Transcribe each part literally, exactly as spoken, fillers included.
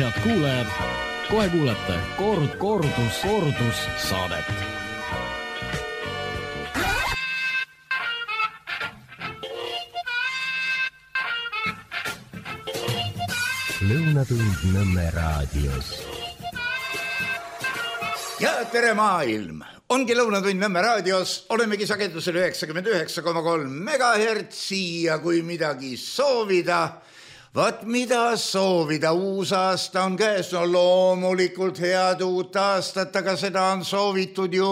Head kuulajad, kohe kuulete Kord, kordus, kordus saadet. Lõunatund Nõmme raadios. Ja tere maailm! Ongi Lõunatund Nõmme raadios. Olemegi sagedusel üheksakümmend üheksa koma kolm megahertsi ja kui midagi soovida, vaat mida soovida, uus aasta on käes, no loomulikult head uut aastat, aga seda on soovitud ju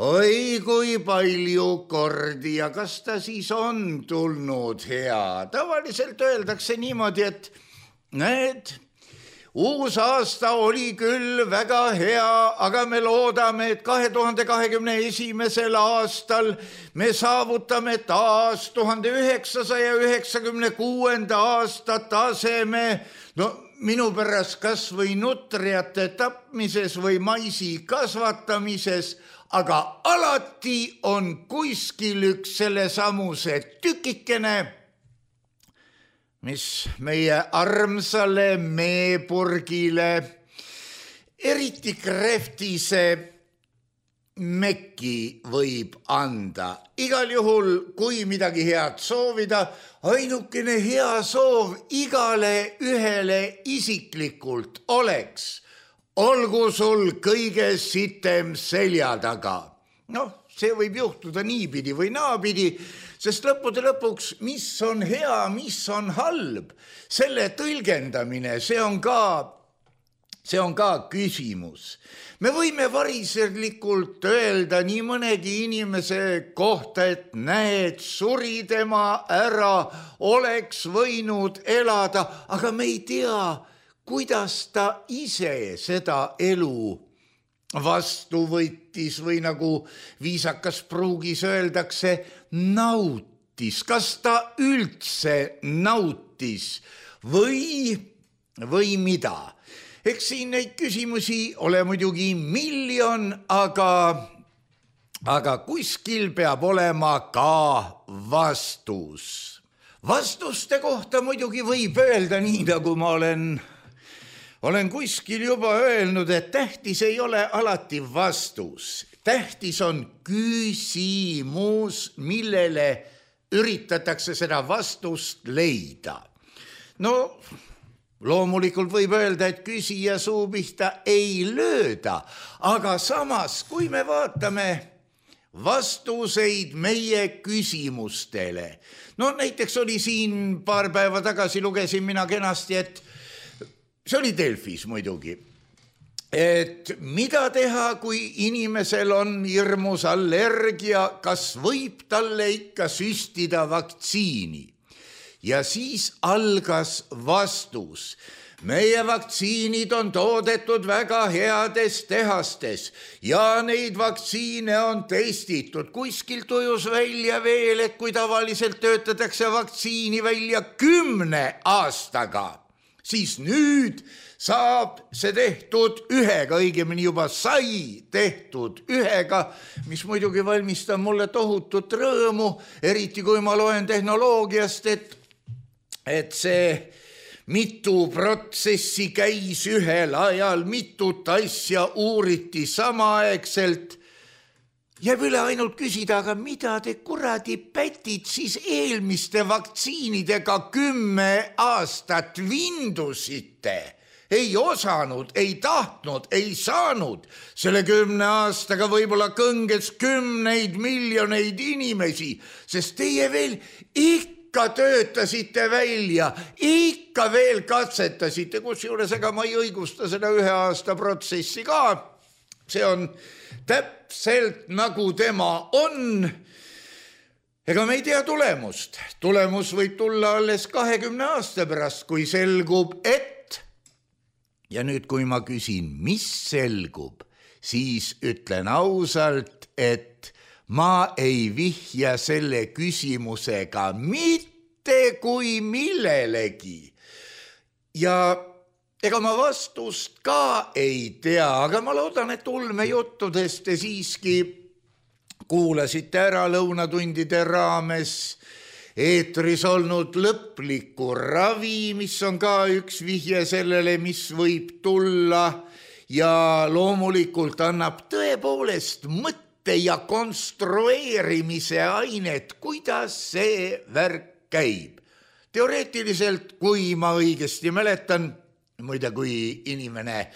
oi kui palju kordi ja kas ta siis on tulnud hea. Tavaliselt öeldakse niimoodi, et näed, uus aasta oli küll väga hea, aga me loodame, et kahe tuhande kahekümne esimesel aastal me saavutame taas tuhande üheksasaja üheksakümne kuuenda aasta taseme, no minu pärast kas või nutriate tapmises või maisi kasvatamises, aga alati on kuskil üks selle samuse tükikene, mis meie armsale meepurgile, eriti krehvtise mekki võib anda. Igal juhul, kui midagi head soovida, ainukene hea soov igale ühele isiklikult oleks, olgu sul kõige sitem selja taga. Noh, see võib juhtuda niipidi või naapidi, sest lõppude lõpuks, mis on hea, mis on halb, selle tõlgendamine, see on ka, see on ka küsimus. Me võime variserlikult öelda nii mõnegi inimese kohta, et näed, suri tema ära, oleks võinud elada, aga me ei tea, kuidas ta ise seda elu vastu võttis või nagu viisakas pruugis öeldakse, nautis. Kas ta üldse nautis või, või mida? Eks siin neid küsimusi ole muidugi miljon, aga, aga kuskil peab olema ka vastus. Vastuste kohta muidugi võib öelda nii, nagu ma olen Olen kuskil juba öelnud, et tähtis ei ole alati vastus. Tähtis on küsimus, millele üritatakse seda vastust leida. No, loomulikult võib öelda, et küsija suu pihta ei lööda, aga samas, kui me vaatame vastuseid meie küsimustele, no näiteks oli siin paar päeva tagasi, lugesin mina kenasti, et see oli Delfis muidugi, et mida teha, kui inimesel on hirmus allergia, kas võib talle ikka süstida vaktsiini? Ja siis algas vastus. Meie vaktsiinid on toodetud väga heades tehastes ja neid vaktsiine on testitud. Kuskil tujus välja veel, et kui tavaliselt töötatakse vaktsiini välja kümne aastaga, siis nüüd saab see tehtud ühega, õigemini juba sai tehtud ühega, mis muidugi valmistab mulle tohutut rõõmu, eriti kui ma loen tehnoloogiast, et, et see mitu protsessi käis ühel ajal, mitut asja uuriti samaaegselt. Jääb üle ainult küsida, aga mida te kuradi pätid siis eelmiste vaktsiinidega kümme aastat vindusite? Ei osanud, ei tahtnud, ei saanud. Selle kümne aastaga võib-olla kõnges kümneid miljoneid inimesi, sest teie veel ikka töötasite välja, ikka veel katsetasite, kusjuures ega ma ei õigusta seda ühe aasta protsessi ka. See on täpselt nagu tema on. Ega me ei tea tulemust. Tulemus võib tulla alles kahekümne aasta pärast, kui selgub, et, ja nüüd kui ma küsin, mis selgub, siis ütlen ausalt, et ma ei vihja selle küsimusega mitte kui millelegi. Ja ega ma vastust ka ei tea, aga ma loodan, et ulmejuttudest te siiski kuulasite ära lõunatundide raames eetris olnud lõpliku ravi, mis on ka üks vihje sellele, mis võib tulla ja loomulikult annab tõepoolest mõtte ja konstrueerimise ainet, kuidas see värk käib. Teoreetiliselt, kui ma õigesti mäletan, muide kui inimene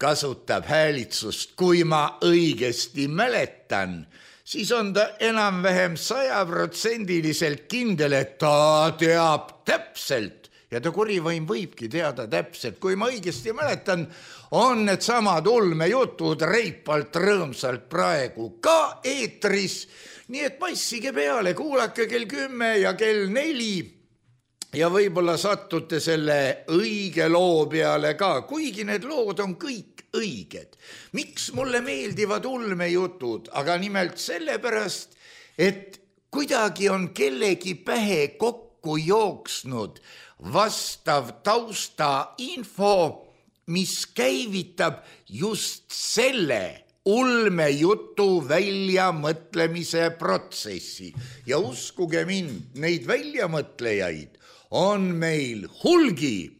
kasutab häälitsust, kui ma õigesti mäletan, siis on ta enam-vähem sajaprotsendiliselt kindel, et ta teab täpselt ja ta kurivaim võibki teada täpselt. Kui ma õigesti mäletan, on need samad ulmejutud reipalt rõõmsalt praegu ka eetris, nii et passige peale, kuulake kell kümme ja kell neli ja võib-olla sattute selle õige loo peale ka, kuigi need lood on kõik õiged. Miks mulle meeldivad ulmejutud? Aga nimelt sellepärast, et kuidagi on kellegi pähe kokku jooksnud vastav tausta info, mis käivitab just selle ulmejutu väljamõtlemise protsessi. Ja uskuge mind, neid väljamõtlejaid on meil hulgi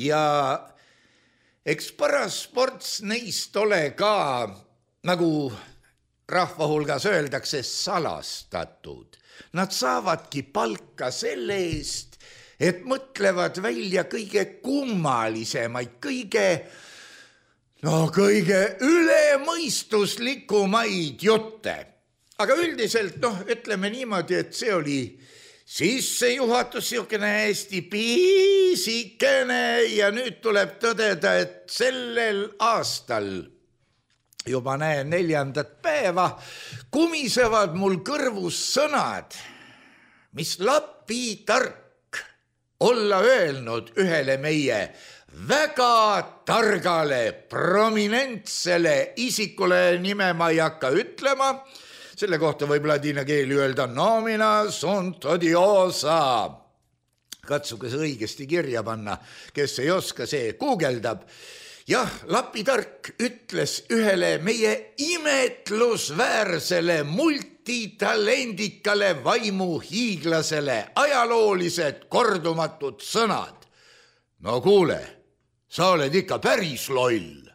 ja eks paras ports neist ole ka, nagu rahva hulgas öeldakse, salastatud. Nad saavadki palka selle eest, et mõtlevad välja kõige kummalisemaid, kõige, no kõige ülemõistuslikumaid jutte. Aga üldiselt, noh, ütleme niimoodi, et see oli sissejuhatus, siukene hästi piisikene ja nüüd tuleb tõdeda, et sellel aastal, juba näen neljandat päeva, kumisevad mul kõrvus sõnad, mis Lapi tark olla öelnud ühele meie väga targale, prominentsele isikule, nime ma ei hakka ütlema, selle kohta võib ladina keeli öelda nomina sunt odiosa. Katsuge see õigesti kirja panna, kes ei oska, see guugeldab. Jah, Lapi tark ütles ühele meie imetlusväärsele multitalendikale vaimuhiiglasele ajaloolised kordumatud sõnad. No kuule, sa oled ikka päris loll.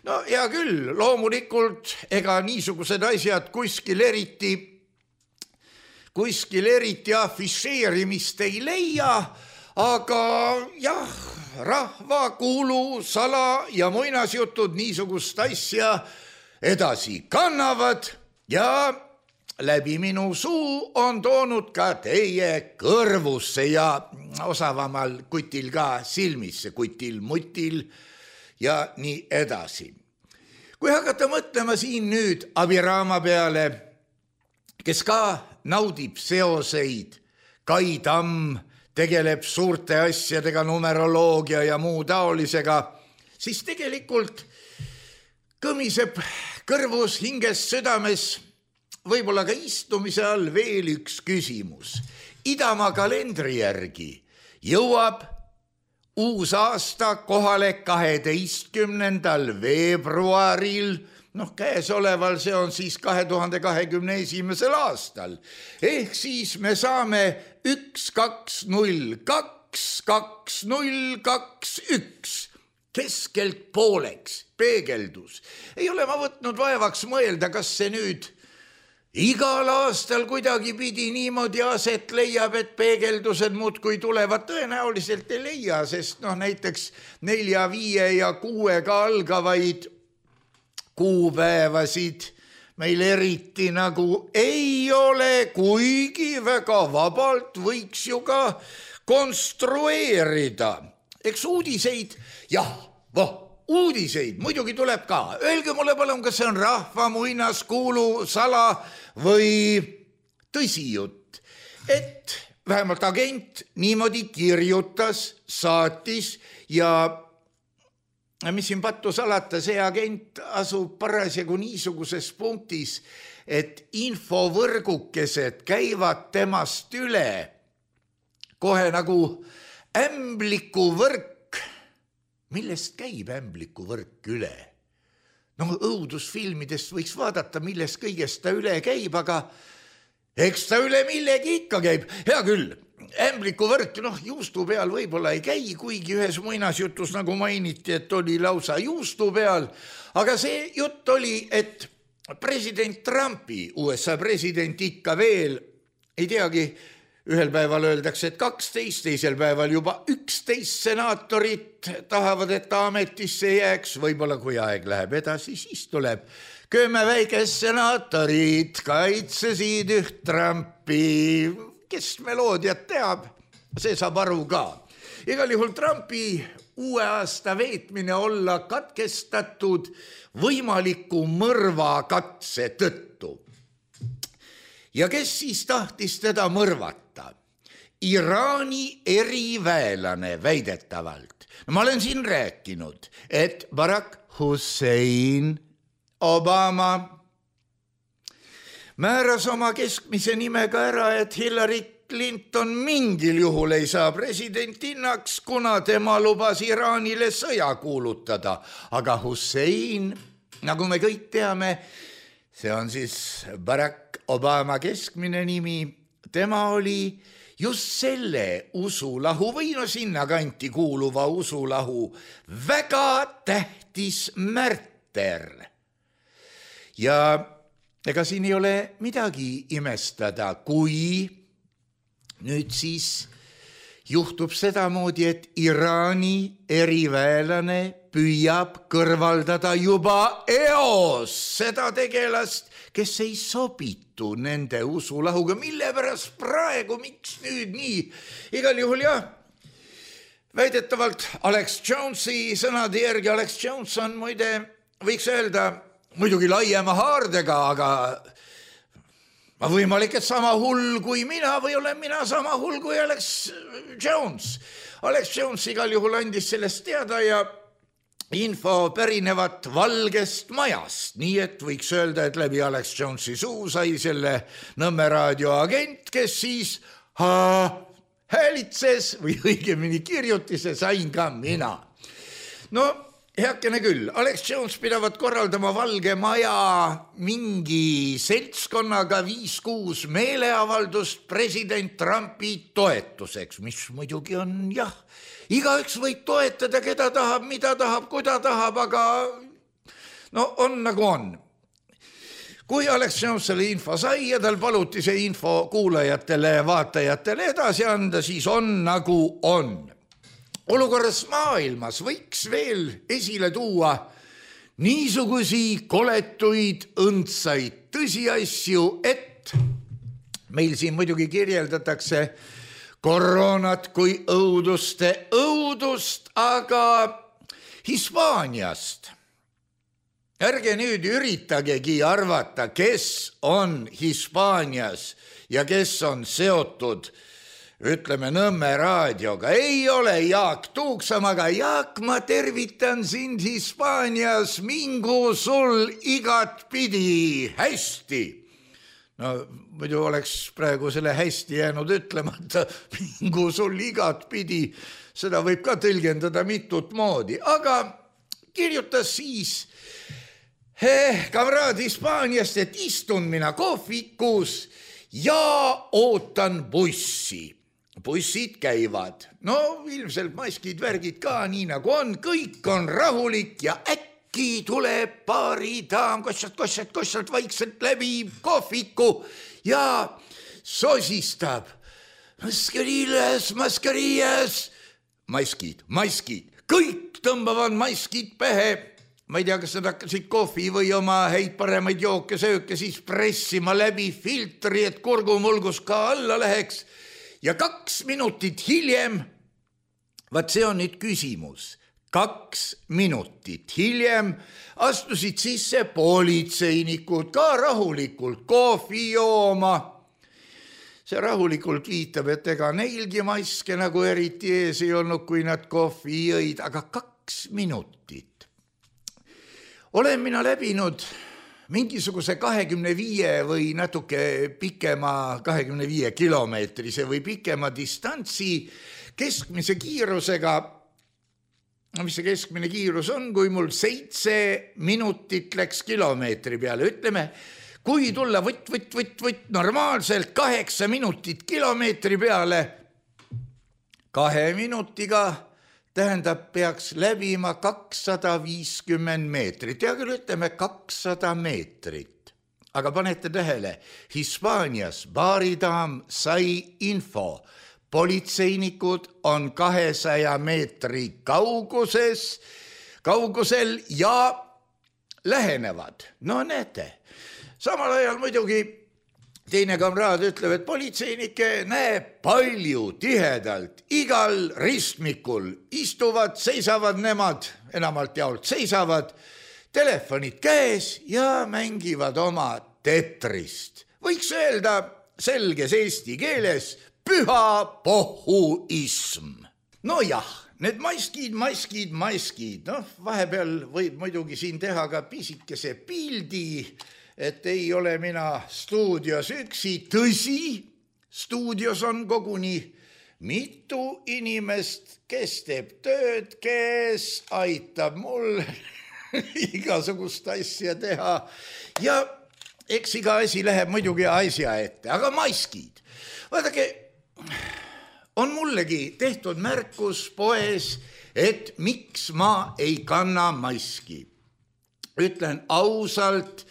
No hea küll, loomulikult ega niisugused asjad kuskil eriti, kuskil eriti afišeerimist ei leia, aga jah, rahva kuulu, sala ja muinasjutud niisugust asja edasi kannavad ja läbi minu suu on toonud ka teie kõrvusse ja osavamal kutil ka silmisse, kutil, mutil ja nii edasi. Kui hakata mõtlema siin nüüd Abiraama peale, kes ka naudib seoseid, Kai Tamm tegeleb suurte asjadega, numeroloogia ja muu taolisega, siis tegelikult kõmiseb kõrvus, hinges, südames, võib-olla ka istumise all veel üks küsimus. Idamaa kalendri järgi jõuab uus aasta kohale kaheteistkümnendal veebruaril, noh käesoleval, see on siis kahe tuhande kahekümne esimesel aastal. Ehk siis me saame üks, kaks, null, kaks, kaks, null, kaks, üks keskelt pooleks peegeldus. Ei ole ma võtnud vaevaks mõelda, kas see nüüd igal aastal kuidagi pidi niimoodi aset leiab, et peegeldused muudkui tulevad. Tõenäoliselt ei leia, sest noh, näiteks nelja, viie ja kuuega algavaid kuupäevasid meil eriti nagu ei ole, kuigi väga vabalt võiks ju ka konstrueerida. Eks uudiseid, jah, voh, uudiseid muidugi tuleb ka. Öelge mulle palun, kas see on rahva muinaskuulu, sala või tõsijutt, et vähemalt agent niimoodi kirjutas, saatis ja mis siin pattu salata, see agent asub parasjagu niisuguses punktis, et infovõrgukesed käivad temast üle kohe nagu ämblikuvõrk. Millest käib ämblikuvõrk üle? No õudusfilmidest võiks vaadata, millest kõigest ta üle käib, aga eks ta üle millegi ikka käib, hea küll. Ämblikuvõrk, noh, juustu peal võib-olla ei käi, kuigi ühes muinasjutus nagu mainiti, et oli lausa juustu peal, aga see jutt oli, et president Trumpi, U S A president ikka veel, ei teagi, ühel päeval öeldakse, et kaksteist, teisel päeval juba üksteist senaatorit tahavad, et ta ametisse jääks, võib-olla kui aeg läheb edasi, siis tuleb kümme väikest senaatorit, kaitsesid üht Trumpi, kes meloodiat teab, see saab aru ka. Igal juhul Trumpi uue aasta veetmine olla katkestatud võimaliku mõrvakatse tõttu. Ja kes siis tahtis teda mõrvata? Iraani eriväelane väidetavalt. No, ma olen siin rääkinud, et Barack Hussein Obama määras oma keskmise nimega ära, et Hillary Clinton mingil juhul ei saa presidentinnaks, kuna tema lubas Iraanile sõja kuulutada. Aga Hussein, nagu me kõik teame, see on siis Barack Obama keskmine nimi, tema oli just selle usulahu või no sinna kanti kuuluva usulahu väga tähtis märter. Ja ega siin ei ole midagi imestada, kui nüüd siis juhtub sedamoodi, et Iraani eriväelane püüab kõrvaldada juba eos seda tegelast, kes ei sobitu nende usulahuga. Mille pärast praegu, miks nüüd nii? Igal juhul jah, väidetavalt Alex Jonesi sõnade järgi, Alex Jones on muide, võiks öelda, muidugi laiema haardega, aga ma võimalik, et sama hull kui mina või olen mina sama hull kui Alex Jones. Alex Jones igal juhul andis sellest teada ja info pärinevat Valgest Majast, nii et võiks öelda, et läbi Alex Jonesi suu sai selle Nõmme raadio agent, kes siis ha, häälitses või õigemini kirjutise sain ka mina. No, heakene küll, Alex Jones pidavat korraldama Valge Maja mingi seltskonnaga viis-kuus meeleavaldust president Trumpi toetuseks, mis muidugi on jah, igaüks võib toetada, keda tahab, mida tahab, kuida tahab, aga no on nagu on. Kui Alex Jones selle info sai ja tal paluti see info kuulajatele ja vaatajatele edasi anda, siis on nagu on. Olukorras maailmas võiks veel esile tuua niisugusi koletuid õndsaid tõsiasju, et meil siin muidugi kirjeldatakse koroonat kui õuduste õudust, aga Hispaaniast. Ärge nüüd üritagegi arvata, kes on Hispaanias ja kes on seotud ütleme Nõmme raadioga. Ei ole Jaak Tuuksamaga. Jaak, ma tervitan sind Hispaanias, mingu sul igat pidi hästi. No muidu oleks praegu selle hästi jäänud ütlemata, mingu sul igat pidi. Seda võib ka tõlgendada mitut moodi, aga kirjutas siis eh, kamraad Hispaaniast, et istun mina kohvikus ja ootan bussi. Bussid käivad, no ilmselt maskid, värgid ka nii nagu on, kõik on rahulik ja äkki tuleb paari daam kossalt, kossalt, kossalt vaikselt läbi kohviku ja sosistab. Maskariles, maskariles, maskid, maskid, kõik tõmbavad maskid pähe. Ma ei tea, kas nad hakkasid kohvi või oma häid paremaid jooke, sööke siis pressima läbi filtri, et kurgumulgus ka alla läheks. Ja kaks minutit hiljem, vaat see on nüüd küsimus, kaks minutit hiljem astusid sisse politseinikud ka rahulikult kohvi jooma. See rahulikult viitab, et ega neilgi maske nagu eriti ees ei olnud, kui nad kohvi jõid, aga kaks minutit. Olen mina läbinud mingisuguse kahekümne viie või natuke pikema kahekümne viie kilomeetrise või pikema distantsi keskmise kiirusega. No mis see keskmine kiirus on, kui mul seitse minutit läks kilomeetri peale, ütleme, kui tulla võtt, võtt, võtt, võtt normaalselt kaheksa minutit kilomeetri peale, kahe minutiga tähendab, peaks läbima kakssada viiskümmend meetrit. Ja küll ütleme kakssada meetrit. Aga panete tähele, Hispaanias baaridaam sai info. Politseinikud on kahesaja meetri kauguses, kaugusel ja lähenevad. No näete. Samal ajal muidugi teine kamraad ütleb, et politseinike näeb palju tihedalt. Igal ristmikul istuvad, seisavad nemad, enamalt jaolt seisavad, telefonid käes ja mängivad oma tetrist. Võiks öelda selges eesti keeles püha pohhuism. No jah, need maskid, maskid, maskid. No, vahepeal võib muidugi siin teha ka pisikese pildi, et ei ole mina stuudios üksi. Tõsi, stuudios on koguni mitu inimest, kes teeb tööd, kes aitab mul igasugust asja teha. Ja eks iga asi läheb muidugi asja ette, aga maskid. Vaadake, on mullegi tehtud märkus poes, et miks ma ei kanna maski. Ütlen ausalt,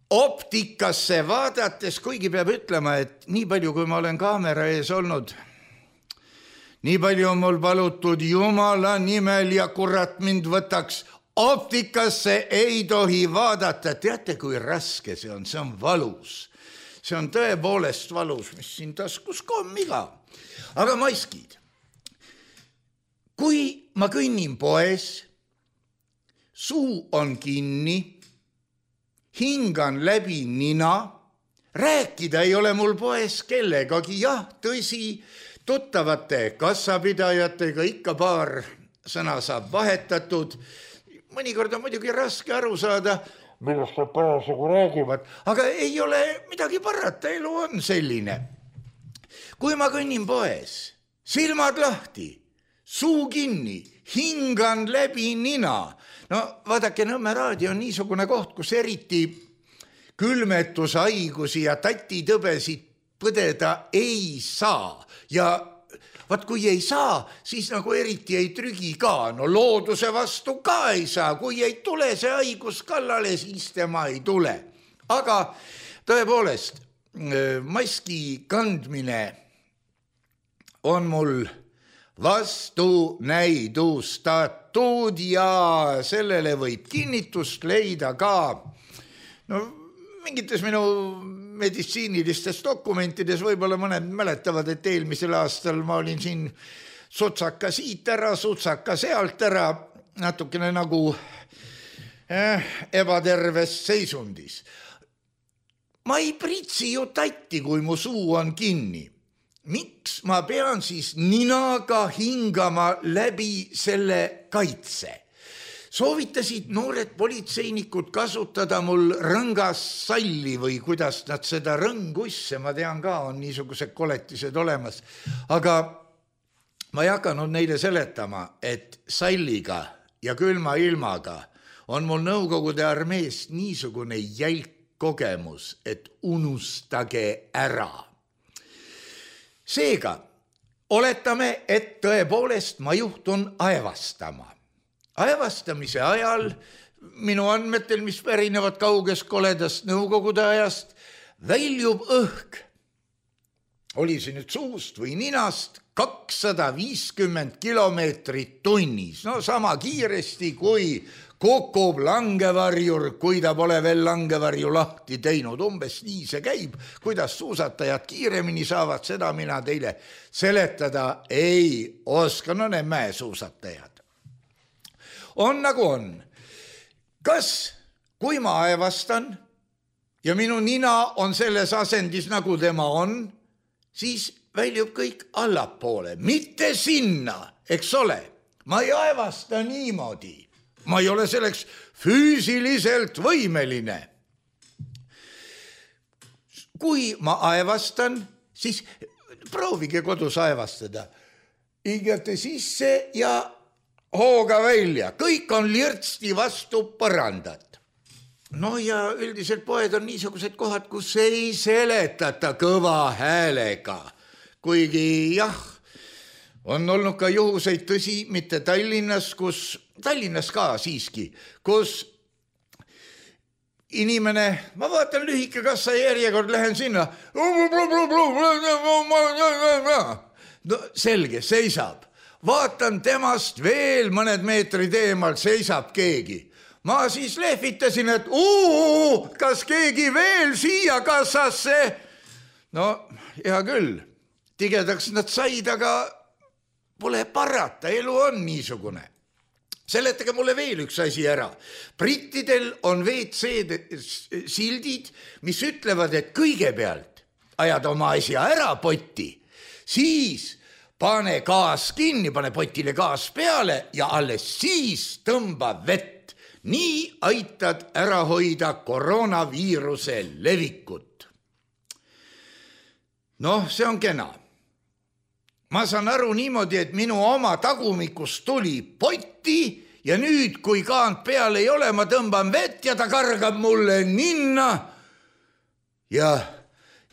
optikasse vaadates, kuigi peab ütlema, et nii palju, kui ma olen kaamera ees olnud, nii palju on mul palutud Jumala nimel ja kurat mind võtaks, optikasse ei tohi vaadata. Teate, kui raske see on, see on valus. See on tõepoolest valus, mis siin taskus kommiga. Aga maskid. Kui ma kõnnin poes, suu on kinni, hingan läbi nina, rääkida ei ole mul poes kellegagi, jah, tõsi, tuttavate kassapidajatega ikka paar sõna saab vahetatud. Mõnikord on muidugi raske aru saada, millest nad parasjagu räägivad, aga ei ole midagi parata, elu on selline. Kui ma kõnnin poes, silmad lahti, suu kinni, hingan läbi nina. No vaadake, Nõmme raadio on niisugune koht, kus eriti külmetushaigusi ja tatitõbesid põdeda ei saa. Ja vaat kui ei saa, siis nagu eriti ei trügi ka. No looduse vastu ka ei saa. Kui ei tule see haigus kallale, siis tema ei tule. Aga tõepoolest, maski kandmine on mul vastu näidustatud ja sellele võib kinnitust leida ka no, mingites minu meditsiinilistes dokumentides. Võib-olla mõned mäletavad, et eelmisel aastal ma olin siin sutsaka siit ära, sutsaka sealt ära, natukene nagu eh, ebaterves seisundis. Ma ei pritsi ju tatti, kui mu suu on kinni. Miks ma pean siis ninaga hingama läbi selle kaitse? Soovitasid noored politseinikud kasutada mul rõngas salli või kuidas nad seda rõngusse, ma tean ka, on niisugused koletised olemas. Aga ma ei hakanud neile seletama, et salliga ja külma ilmaga on mul Nõukogude armees niisugune jälk kogemus, et unustage ära. Seega, oletame, et tõepoolest ma juhtun aevastama. Aevastamise ajal minu andmetel, mis pärinevad kaugest koledast Nõukogude ajast, väljub õhk. Oli see nüüd suust või ninast kakssada viiskümmend kilomeetrit tunnis. No sama kiiresti kui kukub langevarjur, kui ta pole veel langevarju lahti teinud. Umbes nii see käib. Kuidas suusatajad kiiremini saavad, seda mina teile seletada ei oska. No need mäesuusatajad. On nagu on. Kas, kui ma aevastan ja minu nina on selles asendis, nagu tema on, siis väljub kõik allapoole, mitte sinna, eks ole. Ma ei aevasta niimoodi. Ma ei ole selleks füüsiliselt võimeline. Kui ma aevastan, siis proovige kodus aevastada. Hingate sisse ja hooga välja. Kõik on lirtsti vastu põrandat. no ja üldiselt poed on niisugused kohad, kus ei seletata kõva häälega. Kuigi jah, on olnud ka juhuseid, tõsi, mitte Tallinnas, kus, Tallinnas ka siiski, kus inimene, ma vaatan lühike kassa järjekord, lähen sinna. No selge, seisab. Vaatan temast veel mõned meetrid eemal, seisab keegi. Ma siis lehvitasin, et uu, kas keegi veel siia kassasse? No, hea küll. Tigedaks nad said, aga pole parata, elu on niisugune. Seletage mulle veel üks asi ära. Brittidel on V C sildid, mis ütlevad, et kõigepealt ajad oma asja ära potti, siis pane gaas kinni, pane potile gaas peale ja alles siis tõmba vett. Nii aitad ära hoida koroonaviiruse levikut. Noh, see on kena. Ma saan aru niimoodi, et minu oma tagumikust tuli potti ja nüüd, kui kaant peal ei ole, ma tõmban vett ja ta kargab mulle ninna. Ja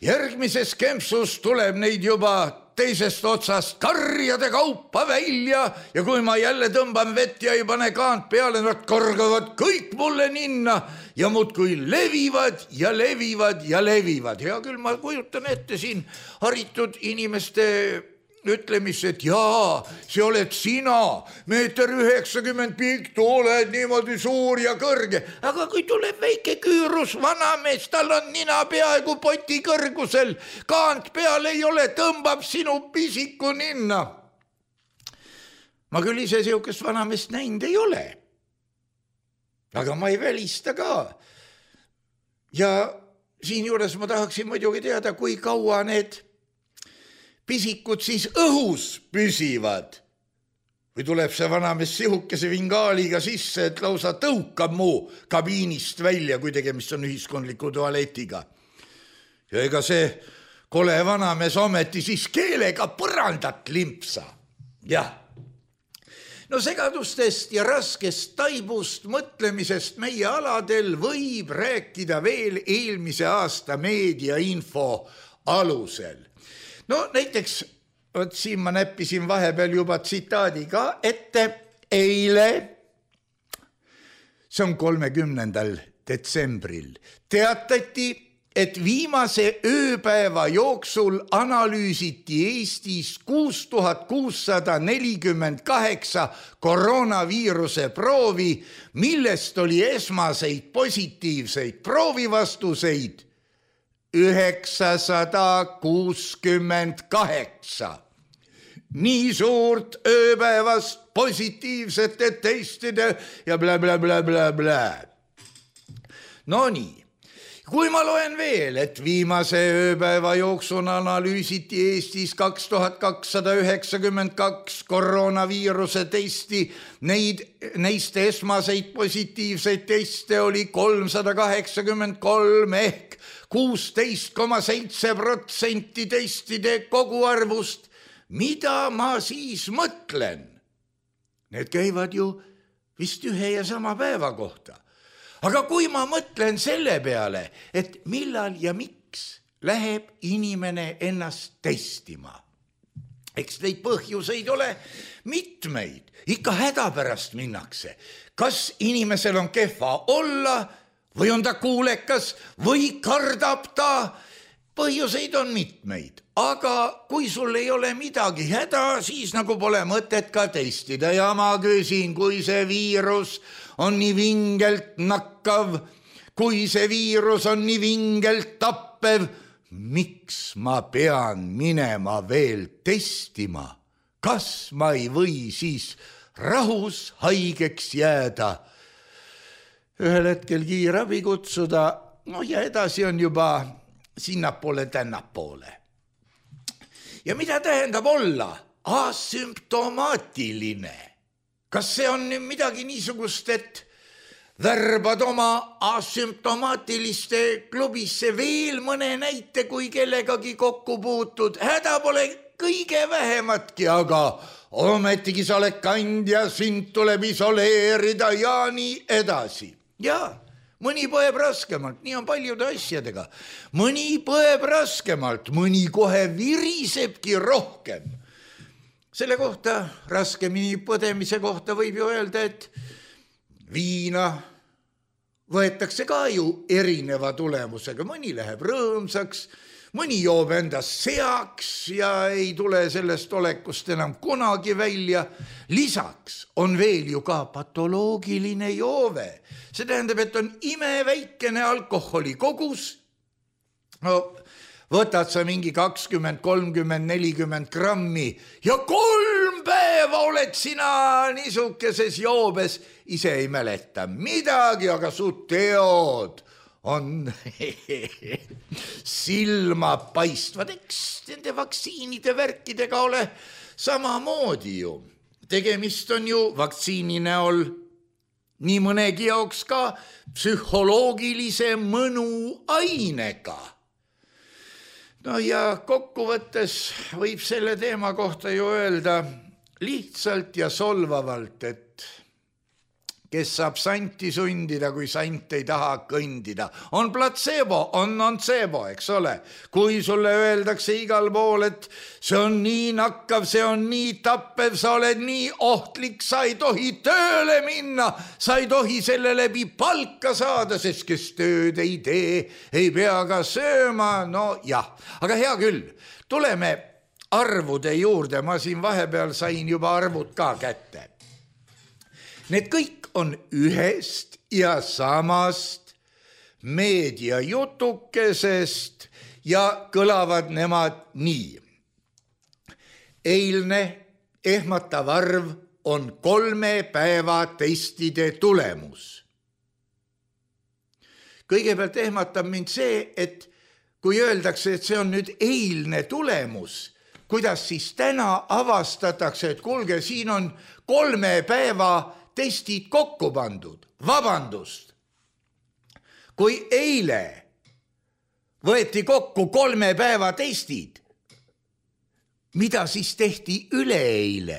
järgmises kempsus tuleb neid juba teisest otsast karjade kaupa välja ja kui ma jälle tõmban vett ja ei pane kaant peale, nad korgavad kõik mulle ninna ja muudkui levivad ja levivad ja levivad. Hea küll, ma kujutan ette siin haritud inimeste ütlemist, et jaa, see oled sina, meeter üheksakümmend pikk, oled niimoodi suur ja kõrge. Aga kui tuleb väike küürus vanamees, tal on nina peaaegu poti kõrgusel, kaant peal ei ole, tõmbab sinu pisiku ninna. Ma küll ise siukest vanameest näinud ei ole. Aga ma ei välista ka. Ja siin juures ma tahaksin muidugi teada, kui kaua need pisikud siis õhus püsivad. Või tuleb see vanamees sihukese vingaaliga sisse, et lausa tõukab muu kabiinist välja, kui tegemist on ühiskondliku tualetiga. Ja ega see kole vanamees ometi siis keelega põrandat limpsa. Jah. No segadustest ja raskest taibust mõtlemisest meie aladel võib rääkida veel eelmise aasta meediainfo alusel. No näiteks, võt siin ma näppisin vahepeal juba tsitaadi ka ette, eile, see on kolmekümnendal detsembril, teatati, et viimase ööpäeva jooksul analüüsiti Eestis kuus tuhat kuussada nelikümmend kaheksa koroonaviiruse proovi, millest oli esmaseid positiivseid proovivastuseid üheksasada kuuskümmend kaheksa. Nii suurt ööpäevast positiivsete testide ja blä, blä, blä, blä, blä. No nii, kui ma loen veel, et viimase ööpäeva jooksul analüüsiti Eestis kaks tuhat kakssada üheksakümmend kaks koroonaviiruse testi, neid, neist esmaseid positiivseid teste oli kolmsada kaheksakümmend kolm ehk kuusteist koma seitse protsenti testide koguarvust. Mida ma siis mõtlen? Need käivad ju vist ühe ja sama päeva kohta. Aga kui ma mõtlen selle peale, et millal ja miks läheb inimene ennast testima, eks neid põhjuseid ole mitmeid, ikka hädapärast minnakse. Kas inimesel on kehva olla või on ta kuulekas või kardab ta? Põhjuseid on mitmeid, aga kui sul ei ole midagi häda, siis nagu pole mõtet ka testida. Ja ma küsin, kui see viirus on nii vingelt nakkav, kui see viirus on nii vingelt tappev, miks ma pean minema veel testima? Kas ma ei või siis rahus haigeks jääda? Ühel hetkel kiirabi kutsuda, no ja edasi on juba sinnapoole tännapoole. Ja mida tähendab olla asümptomaatiline? Kas see on midagi niisugust, et värbad oma asümptomaatiliste klubisse veel mõne näite, kui kellegagi kokku puutud? Häda pole kõige vähematki, aga ometigi sa oled kandja, sind tuleb isoleerida ja nii edasi. Ja mõni põeb raskemalt, nii on paljude asjadega. mõni põeb raskemalt, mõni kohe virisebki rohkem. selle kohta, raskemini põdemise kohta võib ju öelda, et viina võetakse ka ju erineva tulemusega, mõni läheb rõõmsaks, mõni joob endast seaks ja ei tule sellest olekust enam kunagi välja. Lisaks on veel ju ka patoloogiline joove. See tähendab, et on imeväikene alkoholi kogus. No, võtad sa mingi kakskümmend, kolmkümmend, nelikümmend grammi ja kolm päeva oled sina niisukeses joobes. Ise ei mäleta midagi, aga su teod on silma paistvad, eks nende vaktsiinide värkidega ole samamoodi ju. Tegemist on ju vaktsiini näol nii mõnegi jaoks ka psühholoogilise mõnu ainega. No ja kokkuvõttes võib selle teema kohta ju öelda lihtsalt ja solvavalt, et kes saab santi sundida, kui sant ei taha kõndida. On placebo, on nocebo, eks ole. Kui sulle öeldakse igal pool, et see on nii nakkav, see on nii tappev, sa oled nii ohtlik, sa ei tohi tööle minna, sa ei tohi selle läbi palka saada, sest kes tööd ei tee, ei pea ka sööma. No jah, aga hea küll, tuleme arvude juurde, ma siin vahepeal sain juba arvud ka kätte. Need kõik on ühest ja samast meediajutukesest ja kõlavad nemad nii. Eilne ehmatav arv on kolme päeva testide tulemus. Kõigepealt ehmatab mind see, et kui öeldakse, et see on nüüd eilne tulemus, kuidas siis täna avastatakse, et kuulge, siin on kolme päeva testid kokku pandud. Vabandust. Kui eile võeti kokku kolme päeva testid, mida siis tehti üleeile?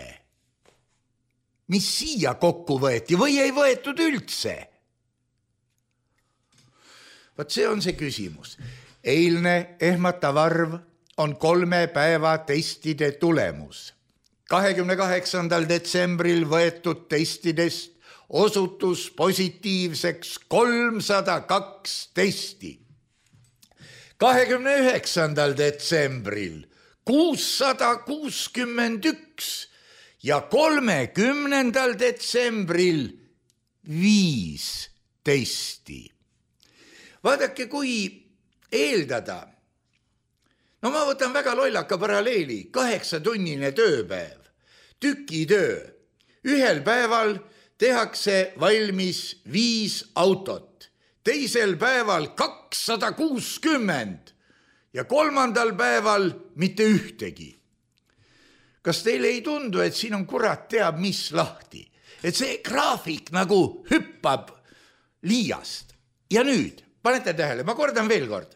Mis siia kokku võeti või ei võetud üldse? Vaat see on see küsimus. Eilne ehmatav arv on kolme päeva testide tulemus. kahekümne kaheksandal detsembril võetud testidest osutus positiivseks kolmsada kaks testi. kahekümne üheksandal detsembril kuussada kuuskümmend üks ja kolmekümnendal detsembril viis testi. Vaadake, kui eeldada, no ma võtan väga lollaka paralleeli, kaheksatunnine tööpäev, tükitöö. Ühel päeval tehakse valmis viis autot, teisel päeval kakssada kuuskümmend ja kolmandal päeval mitte ühtegi. Kas teile ei tundu, et siin on kurat teab mis lahti? Et see graafik nagu hüppab liiast. Ja nüüd, panete tähele, ma kordan veel kord.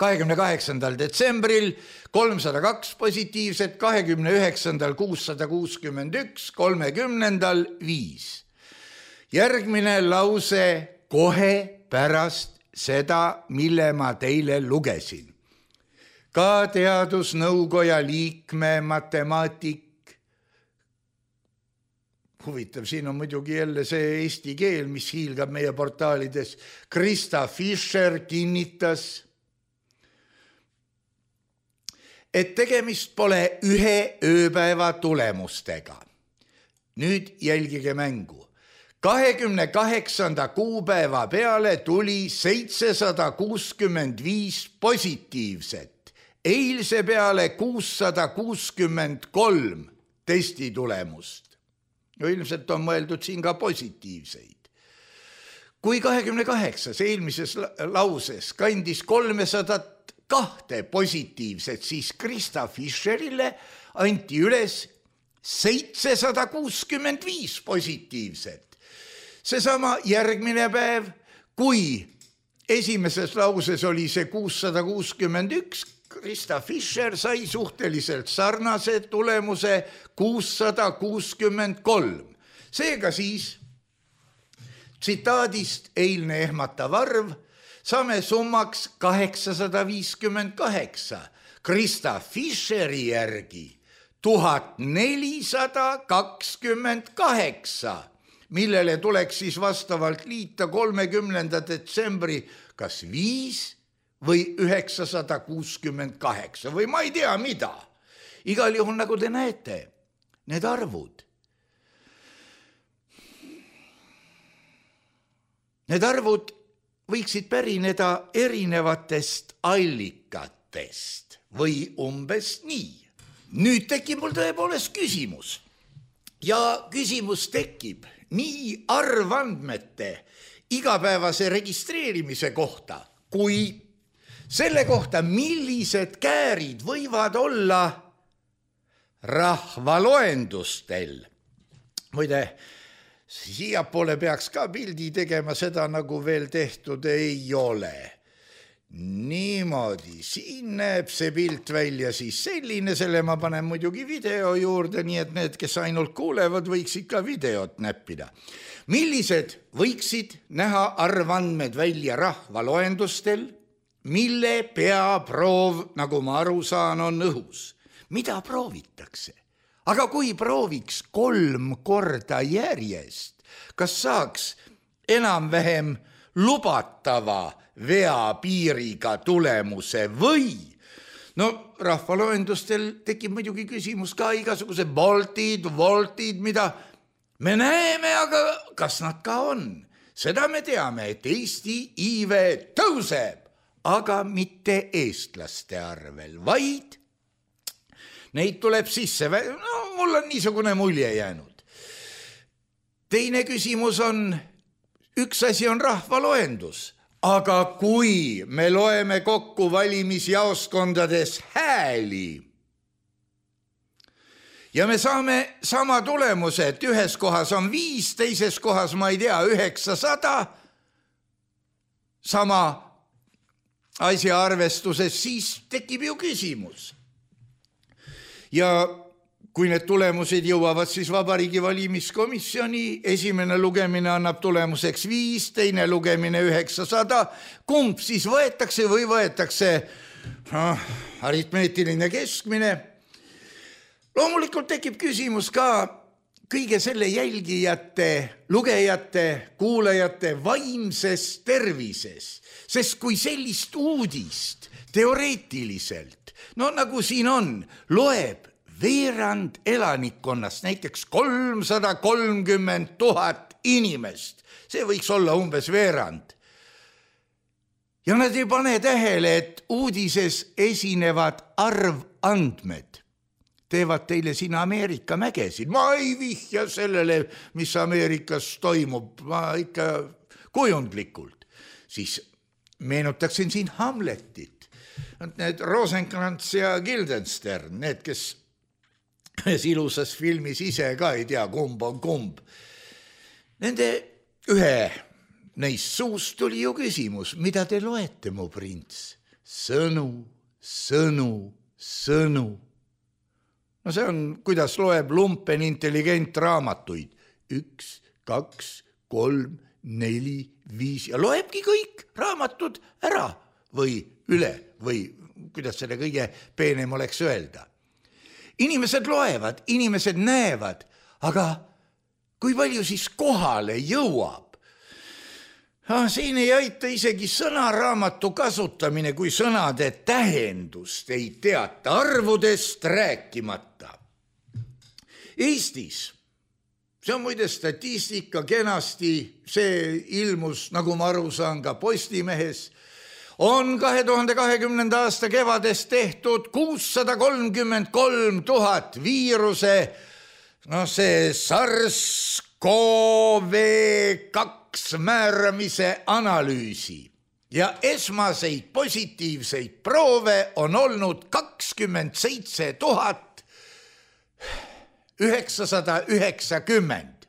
kahekümne kaheksandal detsembril kolmsada kaks positiivset, kahekümne üheksandal kuussada kuuskümmend üks, kolmekümnendal viis. Järgmine lause kohe pärast seda, mille ma teile lugesin. Ka teadusnõukoja liikme matemaatik. Huvitav, siin on muidugi jälle see eesti keel, mis hiilgab meie portaalides. Krista Fischer kinnitas, et tegemist pole ühe ööpäeva tulemustega. Nüüd jälgige mängu. kahekümne kaheksanda kuupäeva peale tuli seitsesada kuuskümmend viis positiivset. Eilse peale kuussada kuuskümmend kolm testitulemust. No ilmselt on mõeldud siin ka positiivseid. Kui kahekümne kaheksas eelmises lauses kandis kolmesada kahte positiivset, siis Krista Fischerile anti üles seitsesada kuuskümmend viis positiivset. Seesama järgmine päev, kui esimeses lauses oli see kuussada kuuskümmend üks, Krista Fischer sai suhteliselt sarnase tulemuse kuussada kuuskümmend kolm. Seega siis tsitaadist eilne ehmatav arv, saame summaks kaheksasada viiskümmend kaheksa, Krista Fischeri järgi tuhat nelisada kakskümmend kaheksa, millele tuleks siis vastavalt liita kolmekümnenda detsembri kas viis või üheksasada kuuskümmend kaheksa või ma ei tea mida. Igal juhul, nagu te näete, need arvud. Need arvud võiksid pärineda erinevatest allikatest või umbes nii. Nüüd tekib mul tõepoolest küsimus ja küsimus tekib nii arvandmete igapäevase registreerimise kohta kui selle kohta, millised käärid võivad olla rahvaloendustel. Muide, siiapoole peaks ka pildi tegema, seda nagu veel tehtud ei ole. Niimoodi, siin näeb see pilt välja siis selline, selle ma panen muidugi video juurde, nii et need, kes ainult kuulevad, võiksid ka videot näppida. Millised võiksid näha arvandmed välja rahvaloendustel, mille peaproov, nagu ma aru saan, on õhus? Mida proovitakse? Aga kui prooviks kolm korda järjest, kas saaks enam-vähem lubatava veapiiriga tulemuse või? No rahvaloendustel tekib muidugi küsimus ka igasuguse voltid, voltid, mida me näeme, aga kas nad ka on? Seda me teame, et Eesti iive tõuseb, aga mitte eestlaste arvel, vaid neid tuleb sisse. No, mul on niisugune mulje jäänud. Teine küsimus on, üks asi on rahvaloendus, aga kui me loeme kokku valimisjaoskondades hääli ja me saame sama tulemuse, et ühes kohas on viis, teises kohas, ma ei tea, üheksasada, sama asja arvestuses, siis tekib ju küsimus. Ja kui need tulemused jõuavad siis Vabariigi Valimiskomisjoni, esimene lugemine annab tulemuseks viis, teine lugemine üheksasada, kumb siis võetakse või võetakse no, aritmeetiline keskmine. Loomulikult tekib küsimus ka kõige selle jälgijate, lugejate, kuulajate vaimses tervises, sest kui sellist uudist teoreetiliselt, no nagu siin on, loeb veerand elanikkonnast, näiteks kolmsada kolmkümmend tuhat inimest, see võiks olla umbes veerand. Ja nad ei pane tähele, et uudises esinevad arvandmed teevad teile siin Ameerika mägesid. Ma ei vihja sellele, mis Ameerikas toimub, ma ikka kujundlikult. Siis meenutaksin siin Hamletit. Need Rosenkrantz ja Guildenstern, need, kes ilusas filmis ise ka ei tea, kumb on kumb. Nende ühe neist suust tuli ju küsimus, mida te loete, mu prints? Sõnu, sõnu, sõnu. No see on, kuidas loeb lumpen intelligent raamatuid. Üks, kaks, kolm, neli, viis ja loebki kõik raamatud ära või üle või kuidas selle kõige peenem oleks öelda. Inimesed loevad, inimesed näevad, aga kui palju siis kohale jõuab? Ah, siin ei aita isegi sõnaraamatu kasutamine, kui sõnade tähendust ei teata, arvudest rääkimata. Eestis, see on muide statistika kenasti, see ilmus, nagu ma aru saan, ka Postimehes, on kahe tuhande kahekümnenda aasta kevades tehtud kuussada kolmkümmend kolm tuhat viiruse, no see SARS-CoV kaks määramise analüüsi ja esmaseid positiivseid proove on olnud kakskümmend seitse tuhat üheksasada üheksakümmend,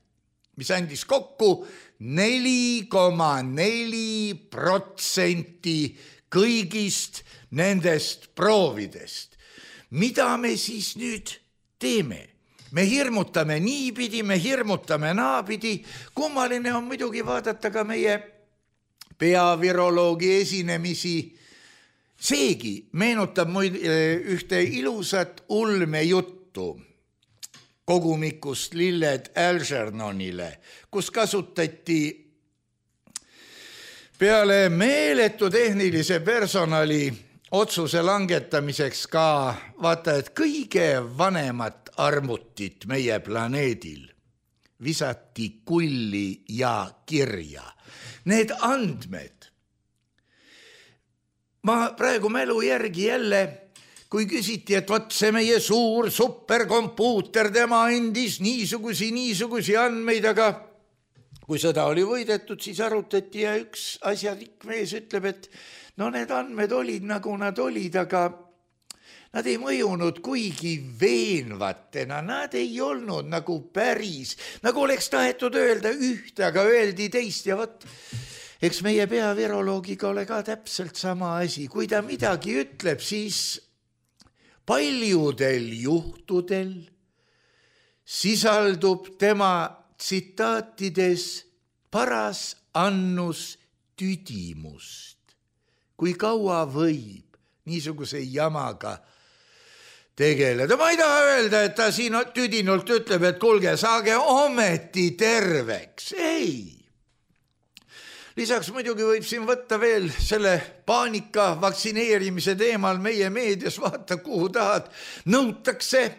mis andis kokku neli koma neli protsenti kõigist nendest proovidest. Mida me siis nüüd teeme? me hirmutame niipidi, me hirmutame naapidi. Kummaline on muidugi vaadata ka meie peaviroloogi esinemisi. Seegi meenutab muid ühte ilusat ulmejuttu kogumikust Lilled Algernonile, kus kasutati peale meeletu tehnilise personali otsuse langetamiseks ka vaata, et kõige vanemat arvutit meie planeedil visati kulli ja kirja. Need andmed, ma praegu mälu järgi jälle, kui küsiti, et võt see meie suur superkompuuter, tema andis niisugusi, niisugusi andmeid, aga kui sõda oli võidetud, siis arutati ja üks asjarik mees ütleb, et no need andmed olid nagu nad olid, aga nad ei mõjunud kuigi veenvatena, nad ei olnud nagu päris, nagu oleks tahetud öelda ühte, aga öeldi teist ja võt, eks meie peaviroloogiga ole ka täpselt sama asi. Kui ta midagi ütleb, siis paljudel juhtudel sisaldub tema tsitaatides paras annus tüdimust. Kui kaua võib niisuguse jamaga tegeleda. Ma ei taha öelda, et ta siin tüdinult ütleb, et kuulge, saage ometi terveks. Ei. Lisaks muidugi võib siin võtta veel selle paanika vaktsineerimise teemal meie meedias, vaata kuhu tahad, nõutakse,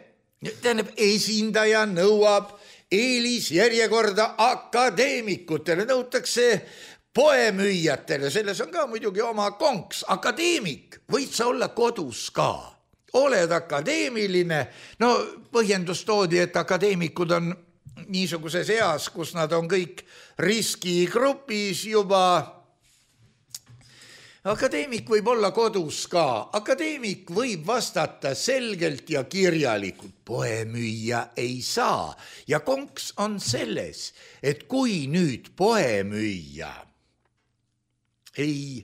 tähendab, esindaja nõuab eelisjärjekorda akadeemikutele, nõutakse poemüüjatele, selles on ka muidugi oma konks, akadeemik, võid sa olla kodus ka, oled akadeemiline, no põhjendus toodi, et akadeemikud on niisuguses eas, kus nad on kõik riskigrupis juba. Akadeemik võib olla kodus ka, akadeemik võib vastata selgelt ja kirjalikult, poemüüja ei saa ja konks on selles, et kui nüüd poemüüja ei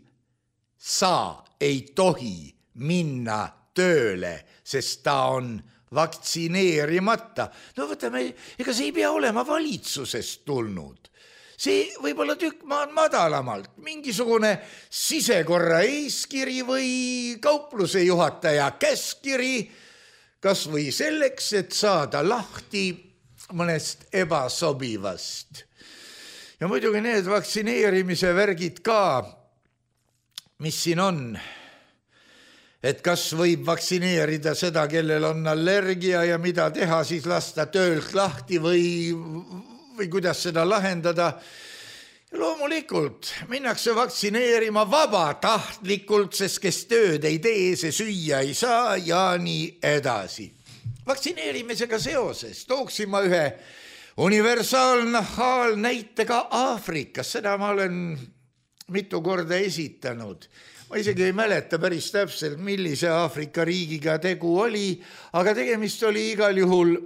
saa, ei tohi minna tööle, sest ta on vaktsineerimata. No võtame, ega see ei pea olema valitsusest tulnud. See võib olla tükk maad madalamalt, mingisugune sisekorra eeskiri või kaupluse juhataja käskiri, kas või selleks, et saada lahti mõnest ebasobivast. Ja muidugi need vaktsineerimise värgid ka, mis siin on, et kas võib vaktsineerida seda, kellel on allergia ja mida teha, siis lasta töölt lahti või, või kuidas seda lahendada. Loomulikult minnakse vaktsineerima vabatahtlikult, sest kes tööd ei tee, see süüa ei saa ja nii edasi. Vaktsineerimisega seoses tooksin ma ühe universaalnahaalnäitega Aafrikas, seda ma olen mitu korda esitanud. Ma isegi ei mäleta päris täpselt, millise Aafrika riigiga tegu oli, aga tegemist oli igal juhul